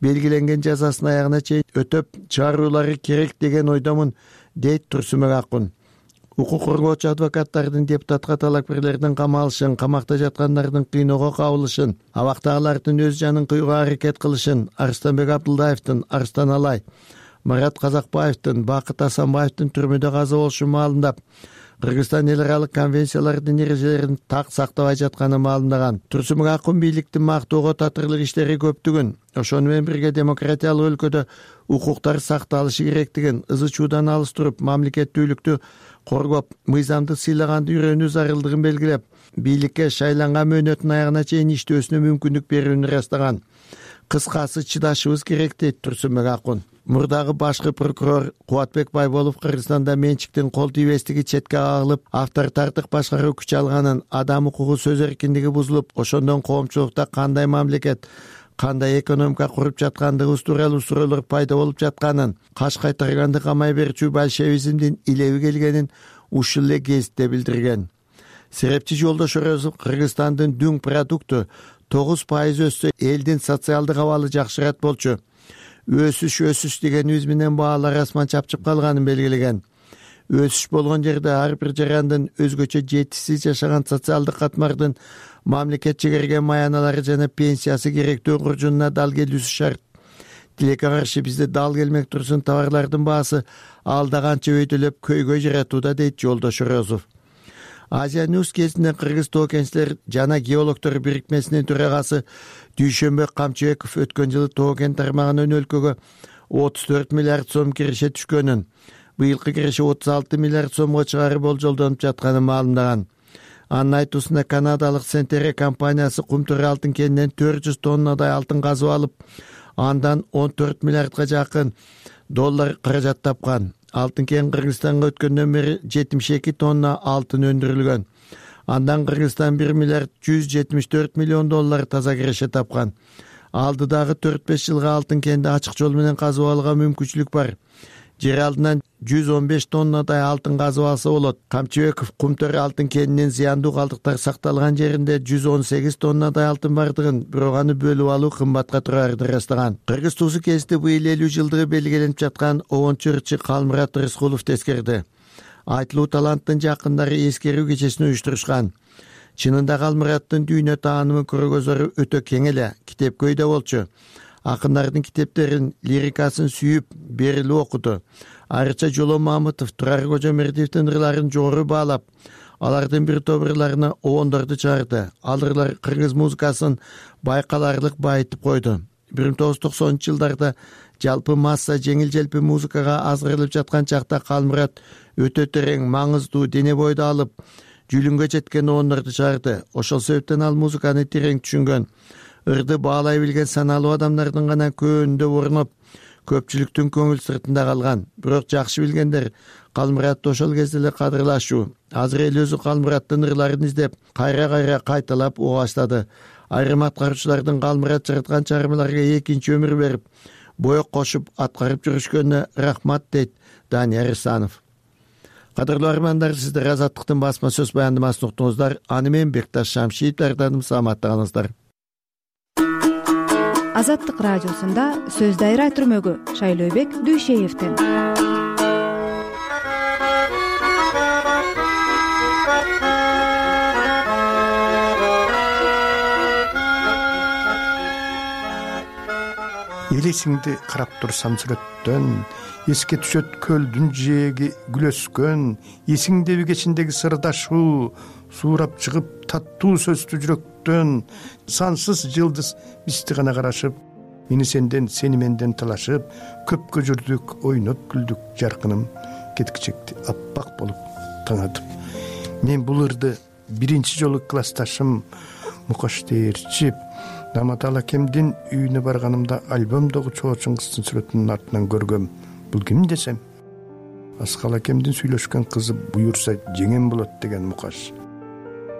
белгиленген жазасын аягына чейин өтөп чыгаруулары керек деген ойдомун, дейт Турсунбек Акун. Укук коргоочу адвокаттардын депутатка талапкерлердин камалышын, камакта жаткандардын кыйноого кабылышын, абактагылардын өз жанын кыюуга аракет кылышын Арыстанбек Абдулдаевдин, Арстан Алай, Марат Казакбаевдин, Бакыт Асанбаевдин түрмөдө каза болушун маалымдап, Кыргызстан эл аралык конвенциялардын эрежелерин так сактабай жатканын маалымдаган. Турсунбек Акун бийликтин мактоого татырлык иштери көптүгүн, ошону менен бирге демократиялык өлкөдө укуктар сакталышы керектигин, ызы чуудан алыс туруп, мамлекеттүүлүктү коргоп, мыйзамды сыйлаганды үйрөнүү зарылдыгын белгилеп, бийликке шайланган мөөнөтүн аягына чейин иштөөсүнө мүмкүндүк берүүнү ырастаган. Кыскасы чыдашыбыз керек, дейт Турсунбек Акун. Мурдагы башкы прокурор Кубатбек Байболов Кыргызстанда менчиктин кол тийбестиги четке кагылып, авторитардык башкаруу күч алганын, адам укугу сөз эркиндиги бузулуп, ошондон коомчулукта кандай мамлекет, кандай экономика куруп жаткандыгыбыз тууралуу суроолор пайда болуп жатканын, каш кайтарганды камай берчү большевизмдин илеби келгенин ушул эле кезитте билдирген. Серепчи Жолдош Орозов Кыргызстандын дүң продукту 9% өссө, элдин социалдык абалы жакшырат болчу. Өсүш дегенибиз менен баалар асман чапчып калганын белгилеген. Өсүш болгон жерде ар бир жарандын өзгөчө жетишсиз жашаган социалдык катмардын мамлекет чегерген маяналары жана пенсиясы керектүү куржунуна дал келүүсү шарт. Тилекке каршы бизде дал келмек турсун товарлардын баасы алда канча өйдөлөп көйгөй жаратууда, дейт Жолдош Орозов. Азия News кезинде Кыргыз тоо кенчилер жана геологдор бирикмесинин төрагасы Дүйшөнбек Камчыбеков өткөн жылы тоо кен тармагынын өлкөгө 34 миллиард сом киреше түшкөнүн, быйылкы киреше 36 миллиард сомго чыгары болжолдонуп жатканын маалымдаган. Анын айтуусунда канадалык Сентере компаниясы Кумтөр алтын кенинен 400 тоннадай алтын казып алып, андан 14 миллиардга жакын доллар каражат тапкан. Алтын кен Кыргызстанга өткөндөн бери 72 тонна алтын өндүрүлгөн. Андан Кыргызстан 1 миллиард 174 миллион доллар таза киреше тапкан. Алдыдагы 4-5 жылга алтын кенди ачык жол менен казып алууга мүмкүнчүлүк бар. жер алдынан 115 тоннадай алтын казып алса болот. Камчыбеков Кумтөр алтын кенинин зыяндуу калдыктар сакталган жеринде 118 тоннадай алтын бардыгын, бирок аны бөлүп алуу кымбатка турарын ырастаган. Кыргыз туусу кезинде быйыл 50 жылдыгы белгиленип жаткан обончу ырчы Калмурат Рыскулов тескерди. Айтылуу таланттын жакындары эскерүү кечесин уюштурушкан. Чынында Калмураттын дүйнө таанымы көргөзөрү өтө кең эле, китепкөйдө болчу. Акындардын китептерин, лирикасын сүйүп, берилип окуду. Айрыкча Жоло Мамытов, Турар Кожомердиевдин ырларын жогору баалап, алардын бир топ ырларына обондорду чыгарды. Ал ырлар кыргыз музыкасын байкаларлык байытып койду. 1990-жылдарда жалпы масса жеңил-желпи музыкага азгырылып жаткан чакта Калмурат өтө терең, маңыздуу, дене бойду алып, жүлүнгө жеткен обондорду чыгарды. Ошол себептен ал музыканы терең түшүнгөн, ырды баалай билген саналуу адамдардын гана көөнүндө орноп, көпчүлүктүн көңүл сыртында калган. Бирок жакшы билгендер Калмуратты ошол кезде эле кадырлашуу. Азыр эл өзү Калмураттын ырларын издеп, кайра кайталап уга баштады. Айрым аткаруучулардын Калмурат жараткан чыгармаларга экинчи өмүр берип, боек кошуп аткарып жүрүшкөнүнө рахмат, дейт Данияр Рысанов. Кадырлуу армандар, сиздер Азаттыктын басма сөз баяндамасын уктуңуздар. Аны мен Бекташ Шамшиев даярдадым. Саламатта калыңыздар. Азаттык радиосунда сөз дайра түрмөгү Шайлообек Дүйшеевден. Элесиңди карап турсам сүрөттөн, эске түшөт көлдүн жээги гүл өскөн, эсиңдеби кечиндеги сырдашуу, суурап чыгып таттуу сөздү жүрөктөн, сансыз жылдыз бизди гана карашып, мени сенден, сени менден талашып, көпкө жүрдүк, ойноп күлдүк, жаркыным кеткичекти аппак болуп таңатып. Мен бул ырды биринчи жолу классташым Мукаш Дээрчип Наматал акемдин үйүнө барганымда альбомдогу Чоочун кыздын сүрөтүнүн артынан көргөм. Бул ким десем, Аскал акемдин сүйлөшкөн кызы буюрса жеңем болот деген Мукаш.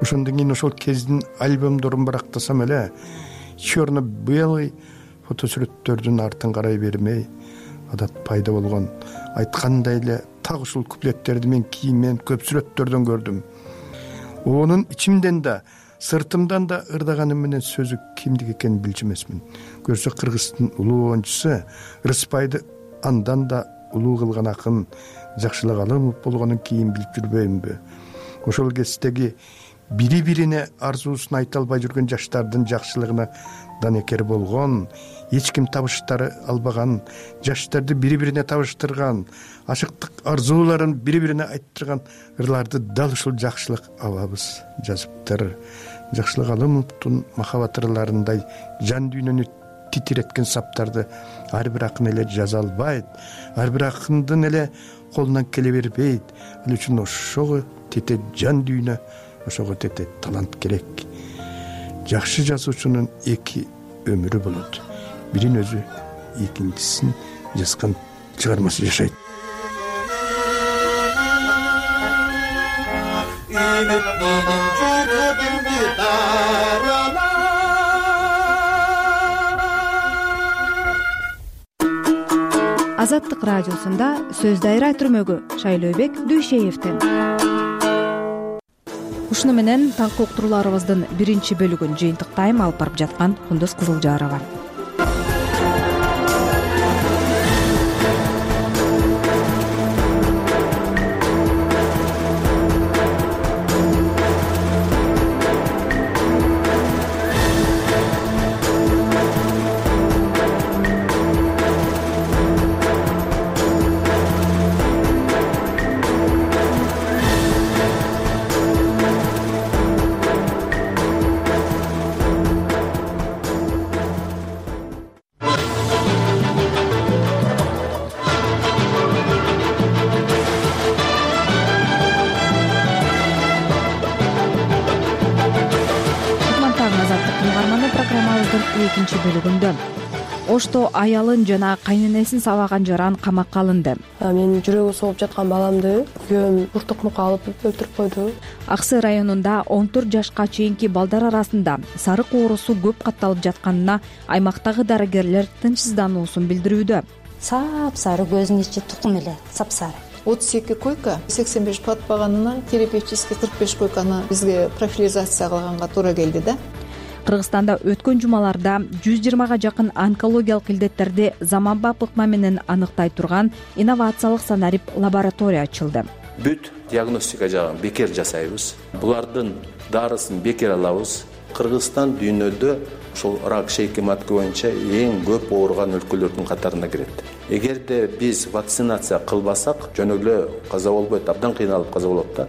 Ошондон кийин ошол кездин альбомдорун барактасам эле, черно-белый фотосүрөттөрдүн артын карай бермей, адат пайда болгон. Айткандай эле так ушул куплеттерди мен кийинмен көп сүрөттөрдөн көрдүм. Онун ичимден да, сыртымдан да ырдаганым менен сөзү кимдики экенин билчү эмесмин. Көрсө Кыргыздын улуу оончусу Рыспайды андан да улуу кылган акын Жакшылык Алымов болгонун кийин билип жүрбөймүнбү? Ошол кездеги бири-бирине арзуусун айта албай жүргөн жаштардын жакшылыгына данекер болгон, эч ким табыштары албаган, жаштарды бири-бирине табыштырган, ашыктык арзууларын бири-бирине айттырган ырларды дал ушул Жакшылык абабыз жазыптыр. Жакшылык Алымовдун махабат ырларындай жан дүйнөнү титиреткен саптарды ар бир акын эле жаза албайт, ар бир акындын эле колунан келе бербейт. Ал үчүн ошого тете жан дүйнө, ошого тете талант керек. Жакшы жазуучунун эки өмүрү болот. Бирин өзү, экинчисин жазган чыгармасы жашайт. Азаттык радиосунда сөз дайра түрмөгү Шайлообек Дүйшеевден. Ушуну менен таңкы уктурууларыбыздын биринчи бөлүгүн жыйынтыктайм. Алып барып жаткан Кундуз Кызылжарова. Экинчи бөлүгүндө Ошто аялын жана кайненесин сабаган жаран камакка алынды. Мен жүрөгү сооп жаткан баламды күйөөм уртук-мука алып өлтүрүп койду. Аксы районунда 14 жашка чейинки балдар арасында сарык оорусу көп катталып жатканына аймактагы дарыгерлер тынчсыздануусун билдирүүдө. сапсары, көзүнүн ичи тукум эле сапсары. 32 койка, 85 батпаганына терапевтический 45 койканы бизге профилизация кылганга туура келди да. Кыргызстанда өткөн жумаларда 120га жакын онкологиялык илдеттерди заманбап ыкма менен аныктай турган инновациялык санарип лаборатория ачылды. Бүт диагностика жагын бекер жасайбыз. Булардын дарысын бекер алабыз. Кыргызстан дүйнөдө ошол рак шейки матка боюнча эң көп ооруган өлкөлөрдүн катарына кирет. Эгерде биз вакцинация кылбасак, жөн эле каза болбойт, абдан кыйналып каза болот да.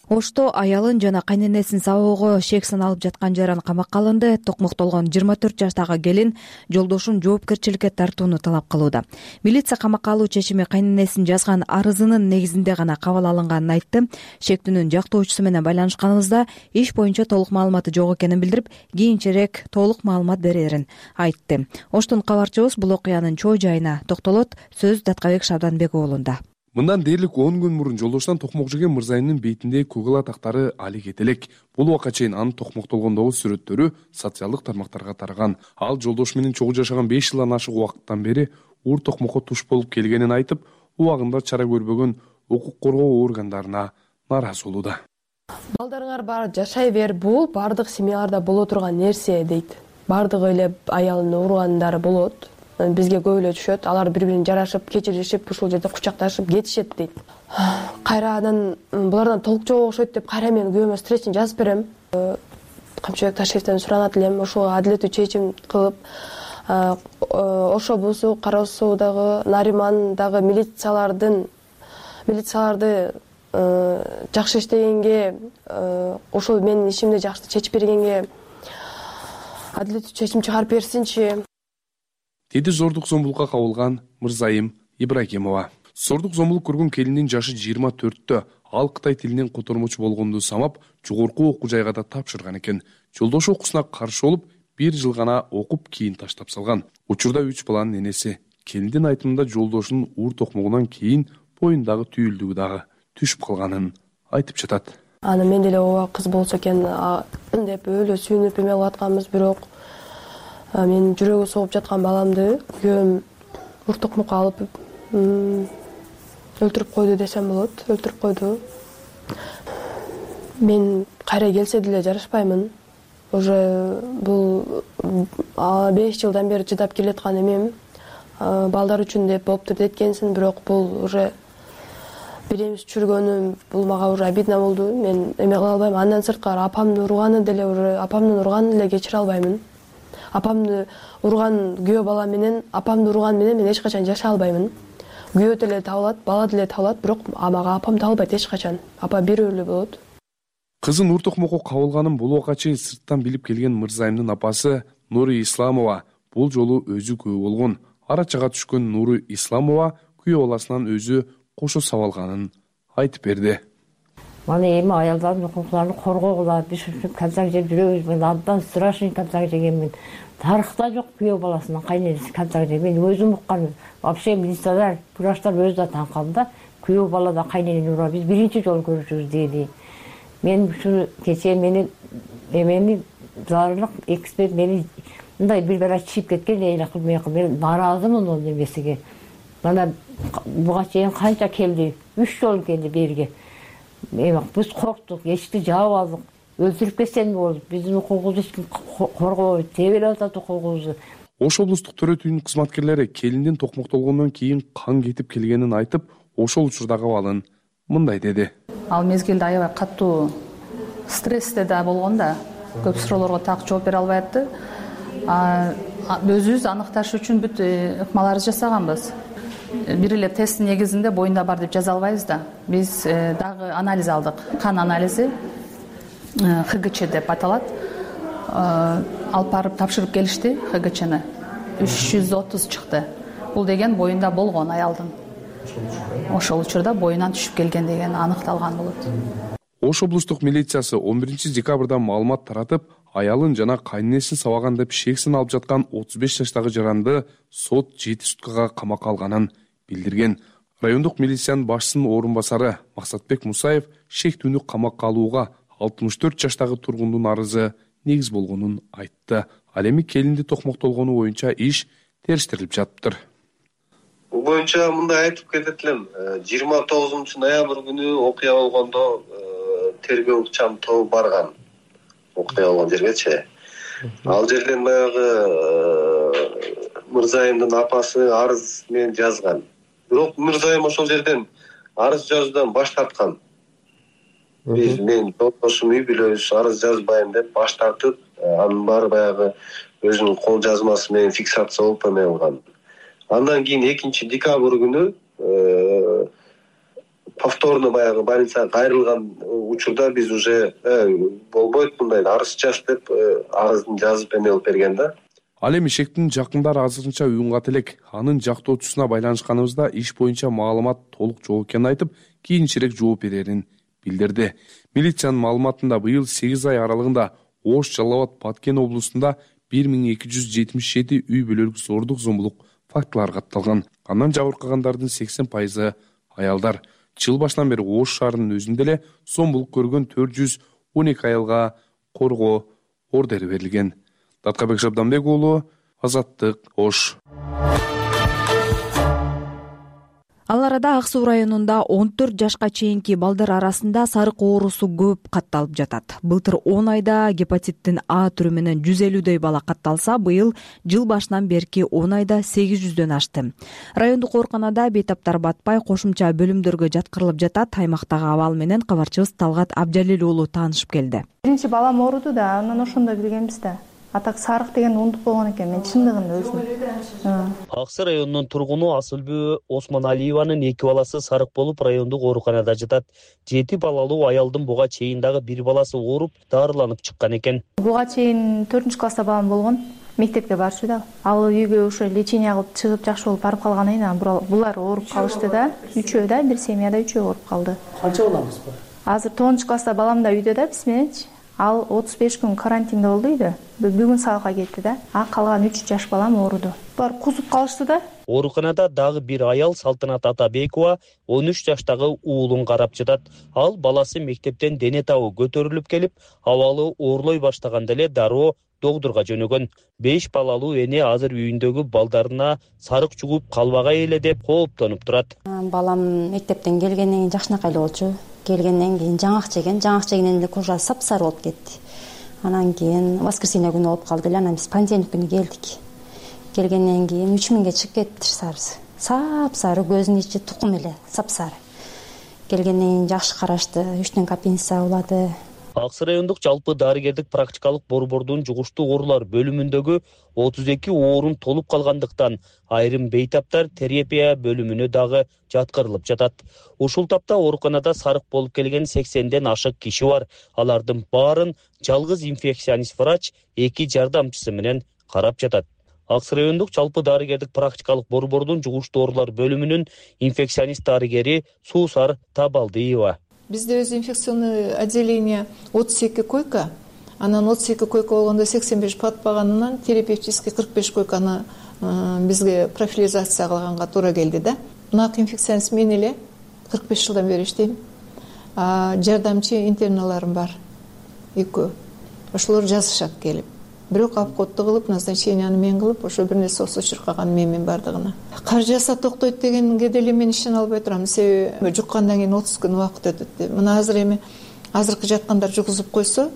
Ошто аялын жана кайненесин сабоого шек саналып жаткан жаран камакка алынды. Токмоктолгон 24 жаштагы келин жолдошун жоопкерчиликке тартууну талап кылууда. Милиция камакка алуу чечими кайненесин жазган арызынын негизинде гана кабыл алынганын айтты. Шектүүнүн жактоочусу менен байланышканыбызда иш боюнча толук маалыматы жок экенин билдирип, кийинчерээк толук маалымат берерин айтты. Оштун кабарчыбыз бул окуянын чоо жайына токтолот. Сөз Даткабек Шабданбек уулунда. Мындан дээрлик 10 күн мурун жолдоштон Токмокжеген Мырзайымдын бетинде Google атактары али кете элек. Бул убакка чейин анын токмоктолгондогу сүрөттөрү социалдык тармактарга тараган. Ал жолдош менен чогуу жашаган 5 жылдан ашык убакыттан бери уур токмокко туш болуп келгенин айтып, убагында чара көрбөгөн укук коргоо органдарына нааразы болууда. Балдарыңар бар жашай бер, бул бардык семьяларда боло турган нерсе дейт. Бардык эле аялын ургандары болот. Бизге көп эле түшөт. Алар бири-бирин жарашып, кечиришип, ушул жерде кучакташып кетишет дейт. Кайрадан булардан толук жок окшойт деп кайра мен күйөөмө встречаны жазып берем. Камчыбек Ташевден суранат элем, ошого адилеттүү чечим кылып, Ошо Бусу, Кара Суудагы, Наримандагы милицияларды жакшы иштегенге, ошол менин ишимди жакшы чечип бергенге адилеттүү чечим чыгарып берсинчи. Деди зордук зомбулукка кабылган Мырзайым Ибрагимова. Зордук зомбулук көргөн келиндин жашы 24-тө. Ал Кытай тилинен котормочу болгонду самап, жогорку окуу жайга да тапшырган экен. Жолдошу окуусуна каршы болуп, 1 жыл гана окуп кийин таштап салган. Учурда 3 баланын энеси. Келиндин айтымында жолдошунун уур токмогунан кийин боюндагы түйүлдүгү дагы түшүп калганын айтып жатат. Аны мен деле ооба кыз болсо экен деп өлө сүйүнүп эме кылып атканбыз, бирок мен жүрөгү согуп жаткан баламды күйөөм уур токмокко алып өлтүрүп койду десем болот. Өлтүрүп койду. Мен кайра келсе деле жарашпаймын. Уже бул 5 жылдан бери чыдап келаткан эмем. Балдар үчүн деп болуптур деткенсин, бирок бул уже биремиз чүргөнүм, бул мага уже обидно болду. Мен эме кыла албайм. Андан сырткары апамды урганын деле кечире албаймын. Апамды урган күйөө бала менен, апамды урган менен мен эч качан жашай албаймын. Күйөө деле табылат, бала деле табылат, бирок мага апам табылбайт эч качан. Апа бирөө эле болот. Кызын уур токмокко кабылганын бул убакка чейин сырттан билип келген Мырзайымдын апасы Нури Исламова бул жолу өзү күбө болгон. Ара чага түшкөн Нури Исламова күйөө баласынан өзү кошо сабалганын айтып берди. Мана эми аялдардын укуктарын коргогула, биз ушинтип концерт жеп жүрөбүз. Мен абдан страшный концерт жегенмин. Тарыхта жок күйөө баласынан кайненеси концерт жеген. Мен өзүм уккан. Вообще министрлер, врачтар өзү да таң калды да. Күйөө бала да кайненени ура. Биз биринчи жолу көрүшүбүз деди. Мен ушуну кечээ менин эмени зарылык эксперт мени мындай бир бара чийип кеткен элакыл мен нааразымын ал эмесиге. Мана буга чейин канча келди? 3 жолу келди берге. Биз корктук, эшикти жаап алдык. Өлтүрүп кетсем болду. Биздин укугубузду эч ким коргобойт. Тебелеп атат укугубузду. Ош облустук төрө түйүнүн кызматкерлери келиндин токмоктолгондон кийин кан кетип келгенин айтып, ошол учурдагы абалын мындай деди. Ал мезгилде аябай катуу стрессте да болгон да. Көп суроолорго так жооп бере албай атты. Өзүбүз аныкташ үчүн бүт ыкмаларды жасаганбыз. Бир эле тест негизинде боюнда бар деп жаза албайбыз да. Биз дагы анализ алдык. Кан анализи ХГЧ деп аталат. Алып барып тапшырып келишти ХГЧны. 330 чыкты. Бул деген боюнда болгон аялдын. Ошол учурда боюнан түшүп келген деген аныкталган болот. Ош облустук милициясы 11 декабрда маалымат таратып, аялын жана кайненесин сабаган деп шексин алып жаткан 35 жаштагы жаранды сот 7 суткага камакка алганын билдирген. Райондук милициянын башчысынын орун басары Максатбек Мусаев шектүүнү камакка алууга 64 жаштагы тургундун арызы негиз болгонун айтты. Ал эми келинди токмоктолгону боюнча иш териштирилип жатыптыр. Бул боюнча мындай айтып кетет элем. 29-ноябрь күнү окуя болгондо тергөө ыкчам тобу барган окуя болгон жергечи. Ал жерден баягы Мырзайымдын апасы арыз менен жазган. Бирок Мырзайым ошол жерден арыз жазуудан баш тарткан. Мен жолдошум үй бүлөбүз арыз жазбайм деп баш тартып, анын баары баягы өзүнүн кол жазмасы менен фиксация болуп эметилган. Андан кийин 2-декабрь күнү повторно баягы больницага кайрылган учурда биз уже болбойт мындай арыз жаз деп арыздын жазып эмелип берген да. Ал эми Ишектин жакындары азырынча уюмгат элек. Анын жактоочусуна байланышканыбызда иш боюнча маалымат толук жок экенин айтып, кийинчерээк жооп берерин билдирди. Милициянын маалыматында быйыл 8 ай аралыгында Ош, Жалал Абад, Баткен облусунда 1277 үй бүлөлүк зордук зомбулук фактылары катталган. Андан жабыркагандардын 80% аялдар. Жыл башынан бери Ош шаарынын өзүндө эле зомбулук көргөн 412 аялга коргоо ордери берилген. Даткабек Шабданбек уулу, Азаттык, Ош. Ал арада Ак Суу районунда 14 жашка чейинки балдар арасында сарык оорусу көп катталып жатат. Былтыр 10 айда гепатиттин А түрү менен 150дөй бала катталса, быйыл жыл башынан берки 10 айда 800дөн ашты. Райондук ооруканада бейтаптар батпай кошумча бөлүмдөргө жаткырылып жатат. Аймактагы абал менен кабарчыбыз Талгат Абжалил уулу таанышып келди. Биринчи балам ооруду да, анан ошондо билгенбиз да. Атак сарык деген унутуп болгон экен, мен чындыгында өзүм. Ак Суу районунун тургуну Асылбү Осмоналиеванын 2 баласы сарык болуп райондук ооруканада жатат. 7 балалуу аялдын буга чейин дагы 1 баласы ооруп, дарыланып чыккан экен. Буга чейин 4-класста балам болгон, мектепке барчу да. Ал үйгө ошо лечение кылып чыгып жакшы болуп барып калгандан кийин булар ооруп калышты да. Үчөө да, бир семьяда үчөө ооруп калды. Канча балаңыз бар? Азыр 9-класста балам да үйдө да, биз мененчи. Ал 35 күн карантинде болду үйдө. Бүгүн сабакка кетти да. Калган 3 жаш балам ооруду. Булар кузуп калышты да. Ооруканада дагы бир аял Салтанат Атабекова 13 жаштагы уулун карап жатат. Ал баласы мектептен дене табы көтөрүлүп келип, абалы оорлой баштаганда эле дароо докторго жөнөгөн. 5 балалуу эне азыр үйүндөгү балдарына сарык жугуп калбагай эле деп кооптонуп турат. Балам мектептен келгенден кийин жакшынакай эле болчу. Келгенден кийин жаңак жегенден эле кожа сапсары болуп кетти. Анан кийин воскресенье күнү болуп калды эле, анан биз понедельник күнү келдик. Келгенден кийин 3000ге чыгып кетти сарысы. Сапсары, көзүнүн ичи тукум эле сапсары. Келгенден кийин жакшы карашты, 3 аппендиция улады. Ак Суу райондук жалпы дарыгердик практикалык борбордун жугуштуу оорулар бөлүмүндөгү 32 оорун толуп калгандыктан айрым бейтаптар терапия бөлүмүнө дагы жаткырылып жатат. Ушул тапта ооруканада сарык болуп келген 80ден ашык киши бар. Алардын баарын жалгыз инфекционист врач 2 жардамчысы менен карап жатат. Ак Суу райондук жалпы дарыгердик практикалык борбордун жугуштуу оорулар бөлүмүнүн инфекционист дарыгери Суусар Табалдиева. Бизде өзү инфекционный отделение 32 койка, анан 32 койка болгондо 85 батпаганынан терапевтический 45 койканы бизге профилизация кылганга туура келди да. Нак инфекционист мен эле 45 жылдан бери иштейм. Жардамчы интерналарым бар. 2. Ошолор жазышат келип. Бирок обходду кылып, назначенияны мен кылып, ошо бир нерсе болсо чуркаган менин бардыгына. Кар жаса токтойт дегенге деле мен ишене албай турам. Себеби жуккандан кийин 30 күн убакыт өтөт. Мына азыркы жаткандар жугузуп койсо,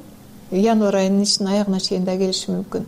январь айынын ичинин аягына чейин да келиши мүмкүн.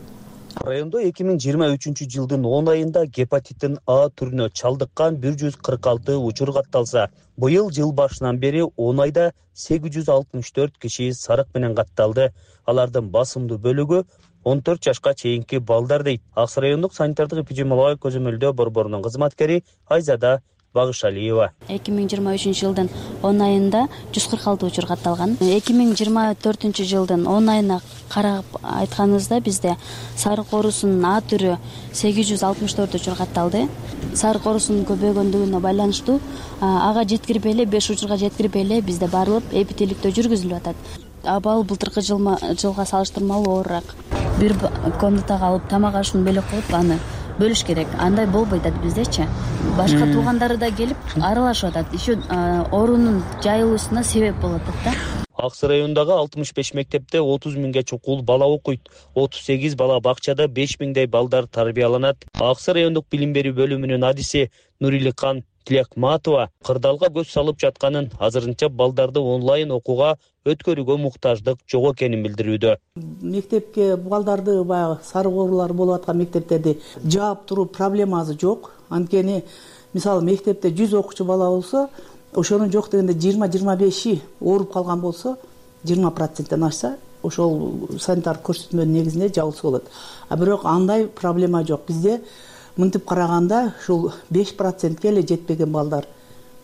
Райондо 2023 жылдын 10 айында гепатиттин А түрүнө чалдыккан 146 учур катталса, быйыл жыл башынан бери 10 айда 864 киши сарык менен катталды. Алардын басымдуу бөлүгү 14 жашка чейинки балдар дейт. Ак Суу райондук санитардык эпидемиологиялык көзөмөлдөө борборунун кызматкери Айзада Багышалиева. 2023 жылдын 10 айында 146 учур катталган. 2024 жылдын 10 айына карап айтканыбызда бизде сарык оорусунун А түрү 864 учур катталды. Сарык оорусунун көбөйгөндүгүнө байланыштуу ага жеткирбей эле 5 учурга жеткирбей эле бизде барылып эпителиктөө жүргүзүлүп атат. Абал былтыркы жылга салыштырмалуу оорураак. Бир комнатага алып тамак ашын бөлөк коюп аны бөлүш керек. Андай болбойт биздечи. Башка туугандары да келип аралашып атат. Еще оорунун жайылуусуна себеп болуп атат да. Ак Сай районундагы 65 мектепте 30 миңге чукул бала окуйт. 38 бала бакчада 5 миңдей балдар тарбияланат. Ак Сай райондук билим берүү бөлүмүнүн адиси Нуриликан Тилекматова кырдаалга көз салып жатканын, азырынча балдарды онлайн окууга өткөрүүгө муктаждык жок экенин билдирүүдө. Мектепке балдарды баягы сары коорулар болуп аткан мектептерди жаап туруу проблемасы жок. Анткени мисалы мектепте 100 окуучу бала болсо, ошонун жок дегенде 20-25 ооруп калган болсо, 20%-тен ашса, ошол санитар көрсөтмөнүн негизинде жабылса болот. А бирок андай проблема жок. Бизде мынтип караганда ушул 5%ке эле жетпеген балдар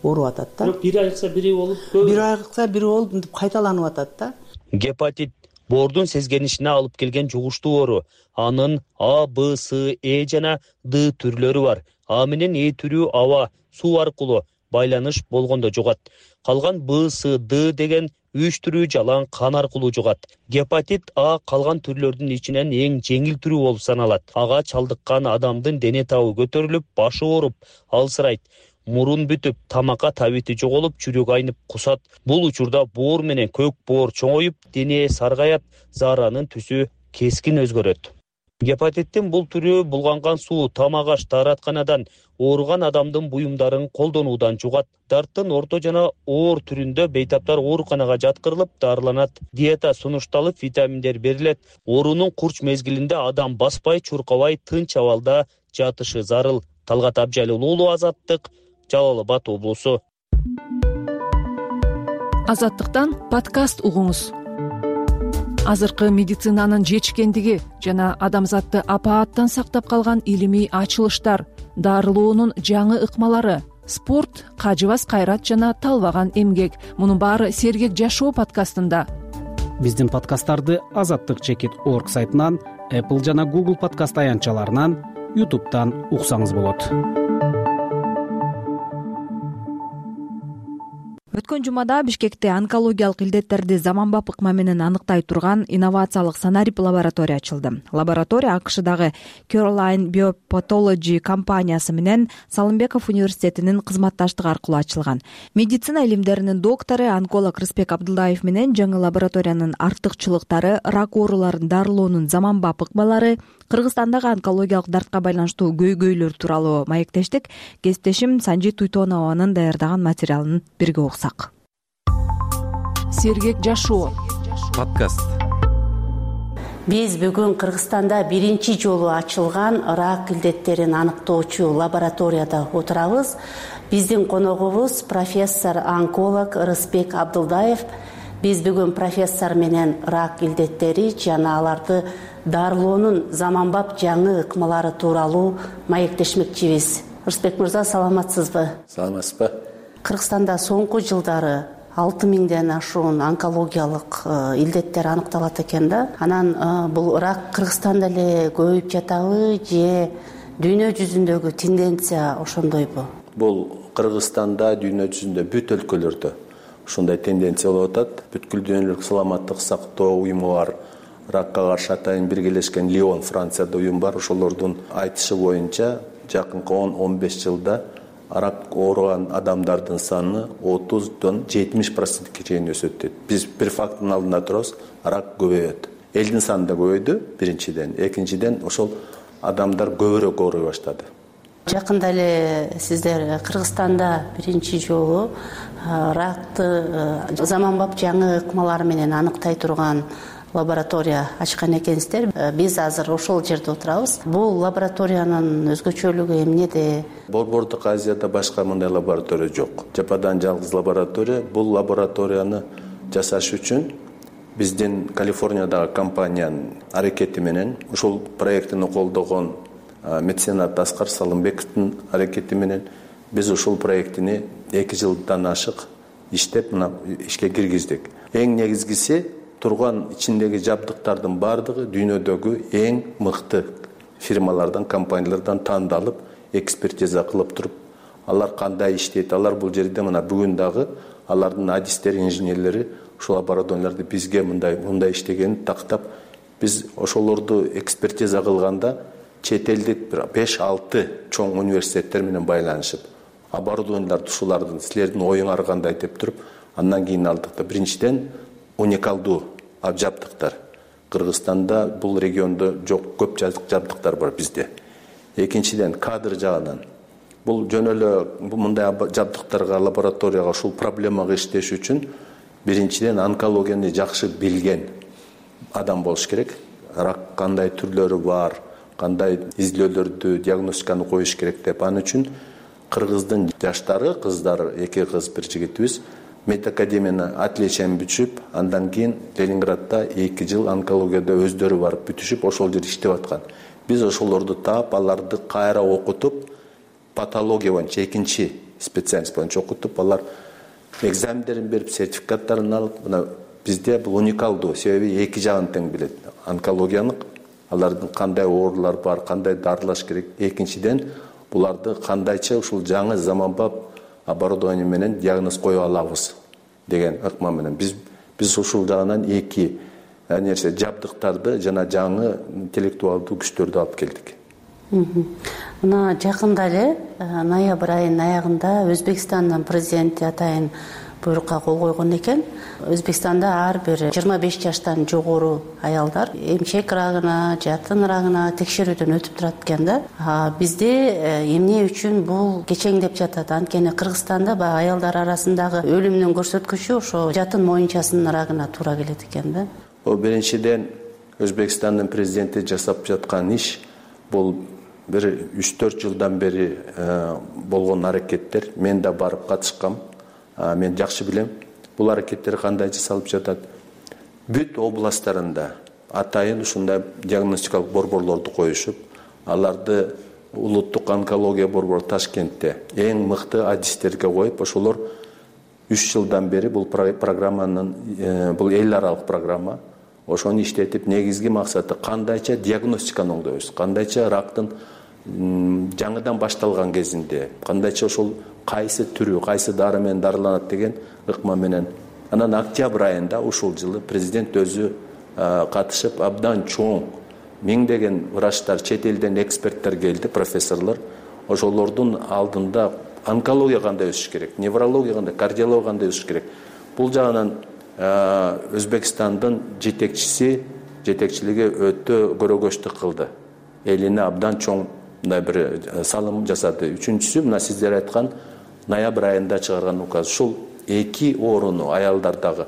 ооруп атат да. Бирок бири айыкса бири болуп, бири айыкса бири болуп мынтип кайталанып атат да. Гепатит боордун сезгенишине алып келген жугуштуу оору. Анын А, Б, С, Э жана Д түрлөрү бар. А менен Э түрү аба, суу аркылуу байланыш болгондо жугат. Калган Б, С, Д деген 3 түрү жалаң кан аркылуу жугат. Гепатит А калган түрлөрдүн ичинен эң жеңил түрү болуп саналат. Ага чалдыккан адамдын дене табы көтөрүлүп, башы ооруп, алсырайт. Мурун бүтүп, тамакка табити жоголуп, жүрөк айнып кусат. Бул учурда боор менен көк боор чоңоюп, дене саргайат, зааранын түсү кескин өзгөрөт. Гепатиттин бул түрү булганган суу, тамак аш, дааратканадан ооруган адамдын буюмдарын колдонуудан жугат. Дарттын орто жана оор түрүндө бейтаптар ооруканага жаткырылып, дарыланат. Диета сунушталып, витаминдер берилет. Оорунун курч мезгилинде адам баспай, чуркабай, тынч абалда жатышы зарыл. Талгат Абжалил уулу, Азаттык, Жалал Абад облусу. Азаттыктан подкаст угуңуз. Азыркы медицинанын жетишкендиги жана адамзатты апааттан сактап калган илимий ачылыштар, дарылоонун жаңы ыкмалары, спорт, кажыбас кайрат жана талбаган эмгек. Мунун баары Сергек жашоо подкастында. Биздин подкасттарды azattik.org сайтынан, Apple жана Google подкаст аянтчаларынан, YouTube'дан уксаңыз болот. Өткөн жумада Бишкекте онкологиялык илдеттерди заманбап ыкма менен аныктай турган инновациялык санарип лаборатория ачылды. Лаборатория АКШдагы Caroline Biopatology компаниясы менен Салымбеков университетинин кызматташтыгы аркылуу ачылган. Медицина илимдеринин доктору, онколог Рыспек Абдылдаев менен жаңы лабораториянын артыкчылыктары, рак ооруларын дарылоонун заманбап ыкмалары, Кыргызстандагы онкологиялык дартка байланыштуу көйгөйлөр тууралуу маектештик. Кесиптешим Санжи Туйтонованын даярдаган материалын бирге окусак. Сергек жашоо подкаст. Биз бүгүн Кыргызстанда биринчи жолу ачылган рак илдеттерин аныктоочу лабораторияда отурабыз. Биздин коногубуз профессор онколог Рыспек Абдылдаев. Биз бүгүн профессор менен рак илдеттери жана аларды дарылоонун заманбап жаңы ыкмалары тууралуу маектешмекчибиз. Рыспек мырза, саламатсызбы? Саламатсызбы. Кыргызстанда соңку жылдары 6000ден ашуун онкологиялык илдеттер аныкталат экен да. Анан бул рак Кыргызстанда эле көбөйүп жатабы же дүйнө жүзүндөгү тенденция ошондойбу? Бул Кыргызстанда, дүйнө жүзүндө бүт өлкөлөрдө ушундай тенденция болуп атат. Бүткүл дүйнөлүк саламаттык сактоо уюму бар. Ракка каршы атайын биргелешкен Лион, Францияда уюм бар. Ошолордун айтышы боюнча жакынкы 10-15 жылда рак ооруган адамдардын саны 30-дан 70%ке чейин өсөт дейт. Биз бир факттын алдында турабыз, рак көбөйөт. Элдин саны да көбөйдү биринчиден. Экинчиден ошол адамдар көбүрөөк ооруй баштады. Жакында эле сиздер Кыргызстанда биринчи жолу ракты заманбап жаңы ыкмалар менен аныктай турган лаборатория ачкан экенсиздер. Биз азыр ошол жерде отурабыз. Бул лабораториянын өзгөчөлүгү эмнеде? Борбордук Азияда башка мындай лаборатория жок. Жападан жалгыз лаборатория. Бул лабораторияны жасаш үчүн биздин Калифорниядагы компаниянын аракети менен, ушул проектини колдогон меценат Аскар Салымбековдун аракети менен биз ушул проектини 2 жылдан ашык иштеп, мына ишке киргиздик. Эң негизгиси турган ичиндеги жабдыктардын бардыгы дүйнөдөгү эң мыкты фирмалардан, компаниялардан тандалып, экспертиза кылып туруп, алар кандай иштейт, алар бул жерде мына бүгүн дагы алардын адистери, инженерлери ушул лабораторияларды бизге мындай иштегенин тактап, биз ошолорду экспертиза кылганда чет элдик 5-6 чоң университеттер менен байланышып, оборудованияларды ушулардын силердин оюңар кандай деп туруп, андан кийин алдык да. Биринчиден уникалдуу жабдыктар. Кыргызстанда бул региондо жок, көп жабдыктар бар бизде. Экинчиден, кадр жагынан бул жөн эле мындай жабдыктарга, лабораторияга ушул проблемага иштеш үчүн биринчиден онкологияны жакшы билген адам болуш керек. Рак кандай түрлөрү бар, кандай изилөөлөрдү, диагностиканы коюш керек деп. Аны үчүн кыргыздын жаштары, кыздары, 2 кыз, 1 жигитибиз медакадемияны отличиен бүтүшүп, андан кийин Ленинградда 2 жыл онкологияда өздөрү барып бүтүшүп, ошол жерде иштеп аткан. Биз ошолорду таап, аларды кайра окутуп, патология боюнча экинчи специалист боюнча окутуп, алар экзамендерин берип, сертификаттарын алып, мына бизде бул уникалдуу, себеби 2 жагын тең билет. Онкологиянын алардын кандай оорулар бар, кандай дарылаш керек. Экинчиден, буларды кандайча ушул жаңы заманбап оборудование менен диагноз кое алабыз деген ыкма менен биз ушул жагынан 2 нерсе жабдыктарды жана жаңы интеллектуалдуу күчтөрдү алып келдик. Мына жакында эле ноябрь айынын аягында Өзбекстандын президенти атайын буйрукка кол койгон экен. Өзбекстанда ар бир 25 жаштан жогору аялдар эмчек рагына, жатын рагына текшерүүдөн өтүп турат экен да. Бизде эмне үчүн бул кечеңдеп жатат? Анткени Кыргызстанда баягы аялдар арасындагы өлүмдүн көрсөткүчү ошо жатын моюнчасынын рагына туура келет экен да. Биринчиден Өзбекстандын президенти жасап жаткан иш бул бир 3-4 жылдан бери болгон аракеттер. Мен да барып катышкам. Мен жакшы билем. Бул аракеттер кандай жасалып жатат? Бүт областтарында атайын ушундай диагностикалык борборлорду коюшуп, аларды улуттук онкология борбору Ташкентте эң мыкты адистерге коюп, ошолор 3 жылдан бери бул программанын, бул эл аралык программа, ошону иштетип, негизги максаты кандайча диагностиканы оңдойбуз, кандайча рактын жаңыдан башталган кезинде, кандайча ошол кайсы түрү, кайсы дары менен дарыланат деген ыкма менен. Анан октябрь айында ушул жылы президент өзү катышып, абдан чоң миңдеген врачтар, чет элден эксперттер келди, профессорлор. Ошолордун алдында онкология кандай өсүш керек, неврология кандай, кардиология кандай өсүш керек. Бул жагынан Өзбекстандын жетекчилиги өтө көрөгөчтүк кылды. Элине абдан чоң мындай бир салым жасады. Үчүнчүсү, мына сиздер айткан ноябрь айында чыгарган указ. Ушул 2 ооруну аялдардагы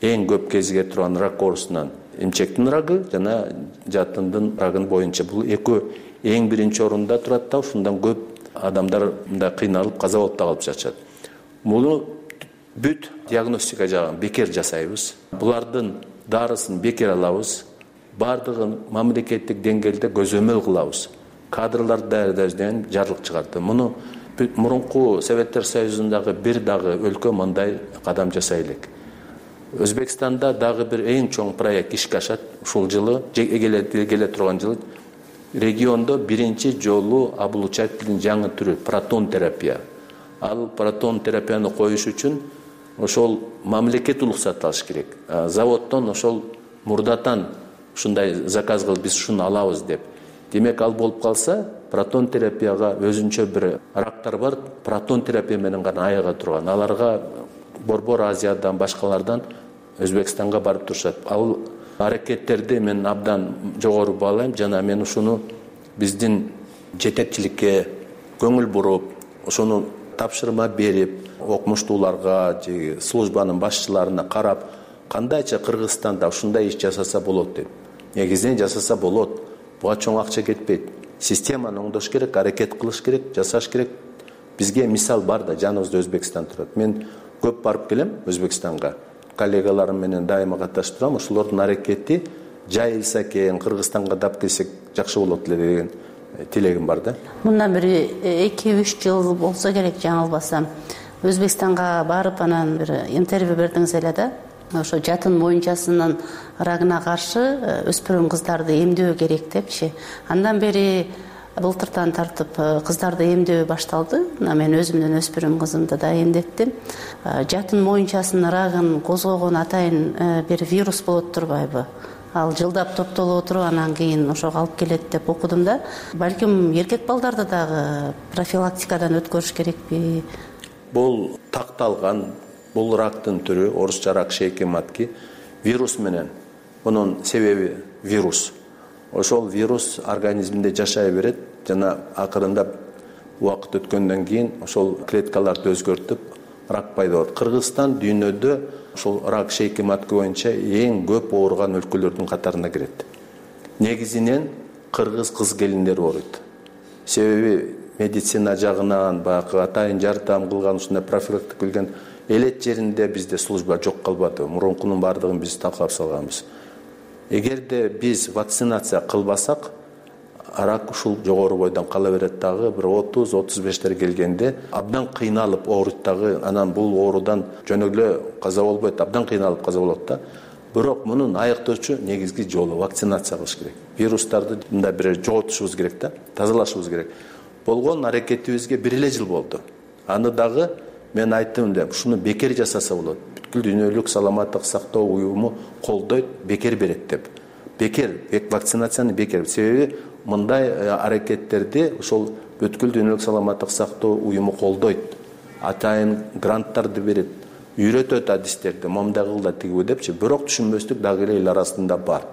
эң көп кезиге турган рак оорусунан эмчектин рагы жана жатындын рагын боюнча бул экөө эң биринчи орунда турат да, ушундан көп адамдар мындай кыйналып, каза болуп да калып жатышат. Муну бүт диагностика жагын бекер жасайбыз. Булардын дарысын бекер алабыз. Бардыгын мамлекеттик деңгээлде көзөмөл кылабыз. Кадрларды даярдоодон жарлык чыгарды. Муну мурунку Советтер Союзундагы бир дагы өлкө мындай кадам жасай элек. Өзбекстанда дагы бир эң чоң проект ишке ашат. Ушул жылы, келе турган жылы региондо биринчи жолу облучательдин жаңы түрү протон терапия. Ал протон терапияны коюш үчүн ошол мамлекет уруксат алыш керек. Заводдон ошол мурдатан ушундай заказ кылып биз ушуну алабыз деп. Демек, ал болуп калса, протон терапияга өзүнчө бир рактар бар, протон терапия менен гана айыга турган. Аларга Борбор Азиядан, башкалардан Өзбекстанга барып турушат. Ал аракеттерди мен абдан жогору баалайм, жана мен ушуну биздин жетекчиликке көңүл буруп, ошону тапшырма берип, окумуштууларга, службанын башчыларына карап, кандайча Кыргызстанда ушундай иш жасаса болот деп. Негизинен жасаса болот. Буга чоң акча кетпейт. Системаны оңдош керек, аракет кылыш керек, жасаш керек. Бизге мисал бар да, жаныбызда Өзбекстан турат. Мен көп барып келем Өзбекстанга. Коллегаларым менен дайыма катнашып турам. Ошолордун аракети жайылса экен, Кыргызстанга дап келсек жакшы болот эле деген тилегим бар да. Мындан бир 2-3 жыл болсо керек, жаңылбасам. Өзбекстанга барып анан бир интервью бердиңиз эле да. Ошо жатын моюнчасынын рагына каршы өспүрүм кыздарды эмдөө керек депчи. Андан бери былтыртан тартып кыздарды эмдөө башталды. Мен өзүмдүн өспүрүм кызымды да эмдеттим. Жатын моюнчасынын рагын козгогон атайын бир вирус болот турбайбы? Ал жылдап топтолуп туруп, анан кийин ошого алып келет деп окудум да. Балким эркек балдарды дагы профилактикадан өткөрүш керекпи? Бул такталган, бул рактын түрү, орусча рак шейки матки, вирус менен. Мунун себеби вирус. Ошол вирус организмде жашай берет жана акырында убакыт өткөндөн кийин ошол клеткаларды өзгөртүп рак пайда болот. Кыргызстан дүйнөдө ошол рак шейки матка боюнча эң көп ооруган өлкөлөрдүн катарына кирет. Негизинен кыргыз кыз келиндери ооруйт. Себеби медицина жагынан баягы атайын жардам кылган ушундай профилактика билген элет жеринде бизде служба жок калбады. Мурункунун баардыгын биз талкалап салганбыз. Эгерде биз вакцинация кылбасак, рак ушул жогору бойдон кала берет дагы, бир 30-35 келгенде абдан кыйналып ооруйт дагы, анан бул оорудан жөн эле каза болбойт, абдан кыйналып каза болот да. Бирок мунун айыктоочу негизги жолу вакцинация кылыш керек. Вирустарды мындай бир жоготушубуз керек да, тазалашыбыз керек. Болгон аракетибизге 1 эле жыл болду. Аны дагы мен айттым эле, ушуну бекер жасаса болот. Бүткүл дүйнөлүк саламаттык сактоо уюму колдойт, бекер берет деп. Бекер, вакцинацияны бекер. Себеби мындай аракеттерди ошол бүткүл дүйнөлүк саламаттык сактоо уюму колдойт. Атайын гранттарды берет, үйрөтөт адистерди, момундай кыл да тигиби депчи. Бирок түшүнбөстүк дагы эле эл арасында бар.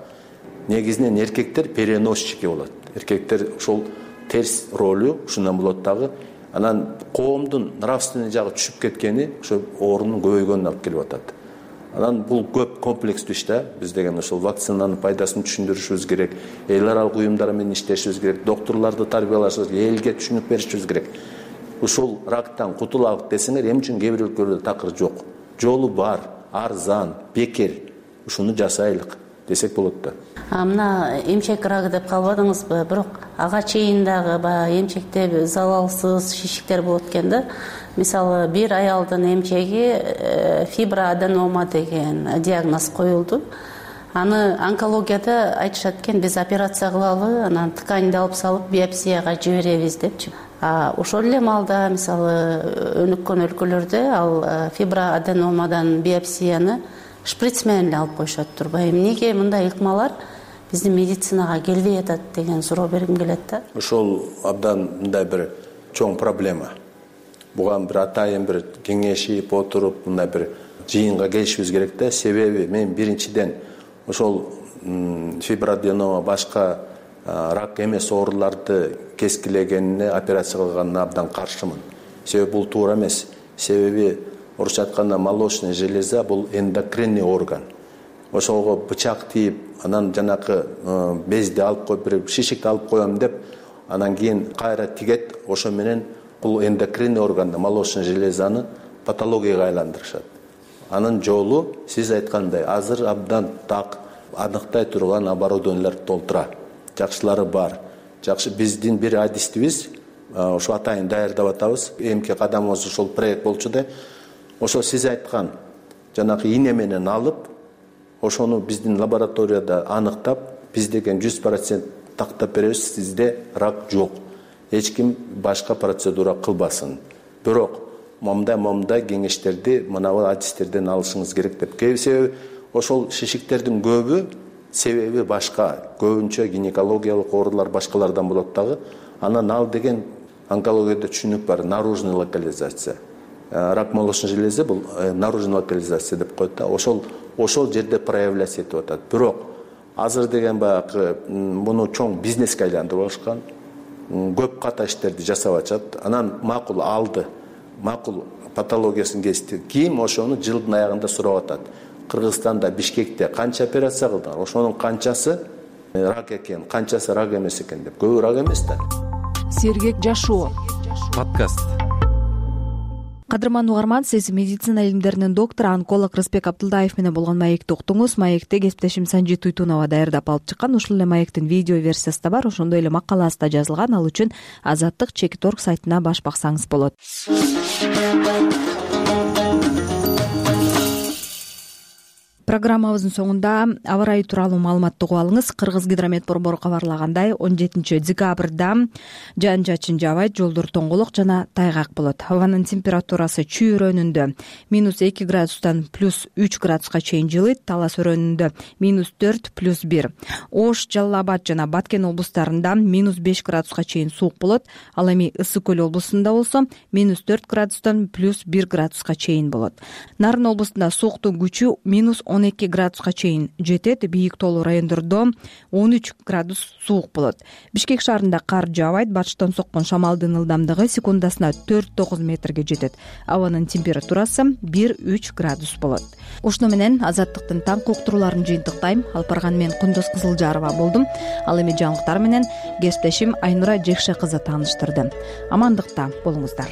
Негизинен эркектер переносчики болот. Эркектер ошол терс ролу ушундан болот дагы. Анан коомдун нравственный жагы түшүп кеткени ошо оорунун көбөйгөнүнө алып келип атат. Анан бул көп комплекстүү иш да. Биз деген ошол вакцинанын пайдасын түшүндүрүшүбүз керек, эл аралык уюмдар менен иштешибиз керек, доктурларды тарбиялашыбыз керек, элге түшүнүк беришибиз керек. Ушул рактан кутулалык десеңер, эмне үчүн кээ бир өлкөлөрдө такыр жок. Жолу бар, арзан, бекер. Ушуну жасайлык десек болот да. Мына эмчек рагы деп калбадыңызбы? Бирок ага чейин дагы баягы эмчекте залалсыз шишиктер болот экен да. Мисалы, бир аялдын эмчеги фиброаденома деген диагноз коюлду. Аны онкологияда айтышат экен, биз операция кылалы, анан тканьди алып салып биопсияга жиберебиз депчи. Ошол эле маалда мисалы өнүккөн өлкөлөрдө ал фиброаденомадан биопсияны шприц менен эле алып коюшат турбайбы? Эмнеге мындай ыкмалар биздин медицинага келбей атат деген суроо бергим келет да. Ошол абдан мындай бир чоң проблема. Буга бир атайын бир кеңешип отуруп мындай бир жыйынга келишибиз керек да. Себеби мен биринчиден ошол фиброаденома башка рак эмес ооруларды кескилегенине операция кылганына абдан каршымын. Себеби бул туура эмес. Себеби орусча айтканда молочная железа бул эндокринный орган. Ошого бычак тийип, анан жанакы безди алып коюп, бир шишикти алып коем деп, анан кийин кайра тигет, ошо менен бул эндокринный органды, молочная железаны патологияга айландырышат. Анын жолу сиз айткандай азыр абдан так аныктай турган оборудованиялар толтура. Жакшылары бар. Жакшы биздин бир адистибиз ошо атайын даярдап атабыз. Эмки кадамыбыз ошол проект болчу да. Ошо сиз айткан жанакы ийне менен алып, ошону биздин лабораторияда аныктап, биз деген 100% тактап беребиз, сизде рак жок. Эч ким башка процедура кылбасын. Бирок момундай кеңештерди мынабу адистерден алышыңыз керек деп. Себеби ошол шишиктердин көбү себеби башка, көбүнчө гинекологиялык оорулар башкалардан болот дагы. Анан ал деген онкологияда түшүнүк бар, наружный локализация. Рак молочной железы бул наружный локализация деп коет да. Ошол жерде проявляться этип атат. Бирок азыр деген баягы муну чоң бизнеске айландырып алышкан. Көп ката иштерди жасап атышат. Анан макул алды. Макул патологиясын кести. Ким ошону жылдын аягында сурап атат. Кыргызстанда, Бишкекте канча операция кылдыңар? Ошонун канчасы рак экен, канчасы рак эмес экен деп. Көбү рак эмес да. Сергек жашоо подкаст. Кадырман угарман, сиз медицина илимдеринин доктору, онколог Рысбек Абдылдаев менен болгон маекти уктуңуз. Маекти кесиптешим Санжи Туйтунова даярдап алып чыккан. Ушул эле маектин видео версиясы да бар, ошондой эле макаласы да жазылган. Ал үчүн Азаттык.org сайтына баш баксаңыз болот. Программабыздын соңунда аба ырайы тууралуу маалыматты угуп алыңыз. Кыргыз гидромет борбору кабарлагандай 17 декабрда жаан чачын жаабайт, жолдор тоңголок жана тайгак болот. Абанын температурасы Чүй өрөөнүндө -2 градустан +3 градуска чейин жылыйт, Талас өрөөнүндө -4 +1. Ош, Жалал Абад жана Баткен облустарында -5 градуска чейин суук болот. Ал эми Ысык көл облусунда болсо -4 градустан +1 градуска чейин болот. Нарын облусунда сууктун күчү -10 12 градуска чейин жетет. Бийик тоолуу райондордо 13 градус суук болот. Бишкек шаарында кар жаабайт. Батыштан соккон шамалдын ылдамдыгы секундасына 4-9 метрге жетет. Абанын температурасы 1-3 градус болот. Ушуну менен Азаттыктын таңкы уктурууларын жыйынтыктайм. Алып барган мен Кундуз Кызылжарова болдум. Ал эми жаңылыктар менен кесиптешим Айнура Жекше кызы тааныштырды. Амандыкта болуңуздар.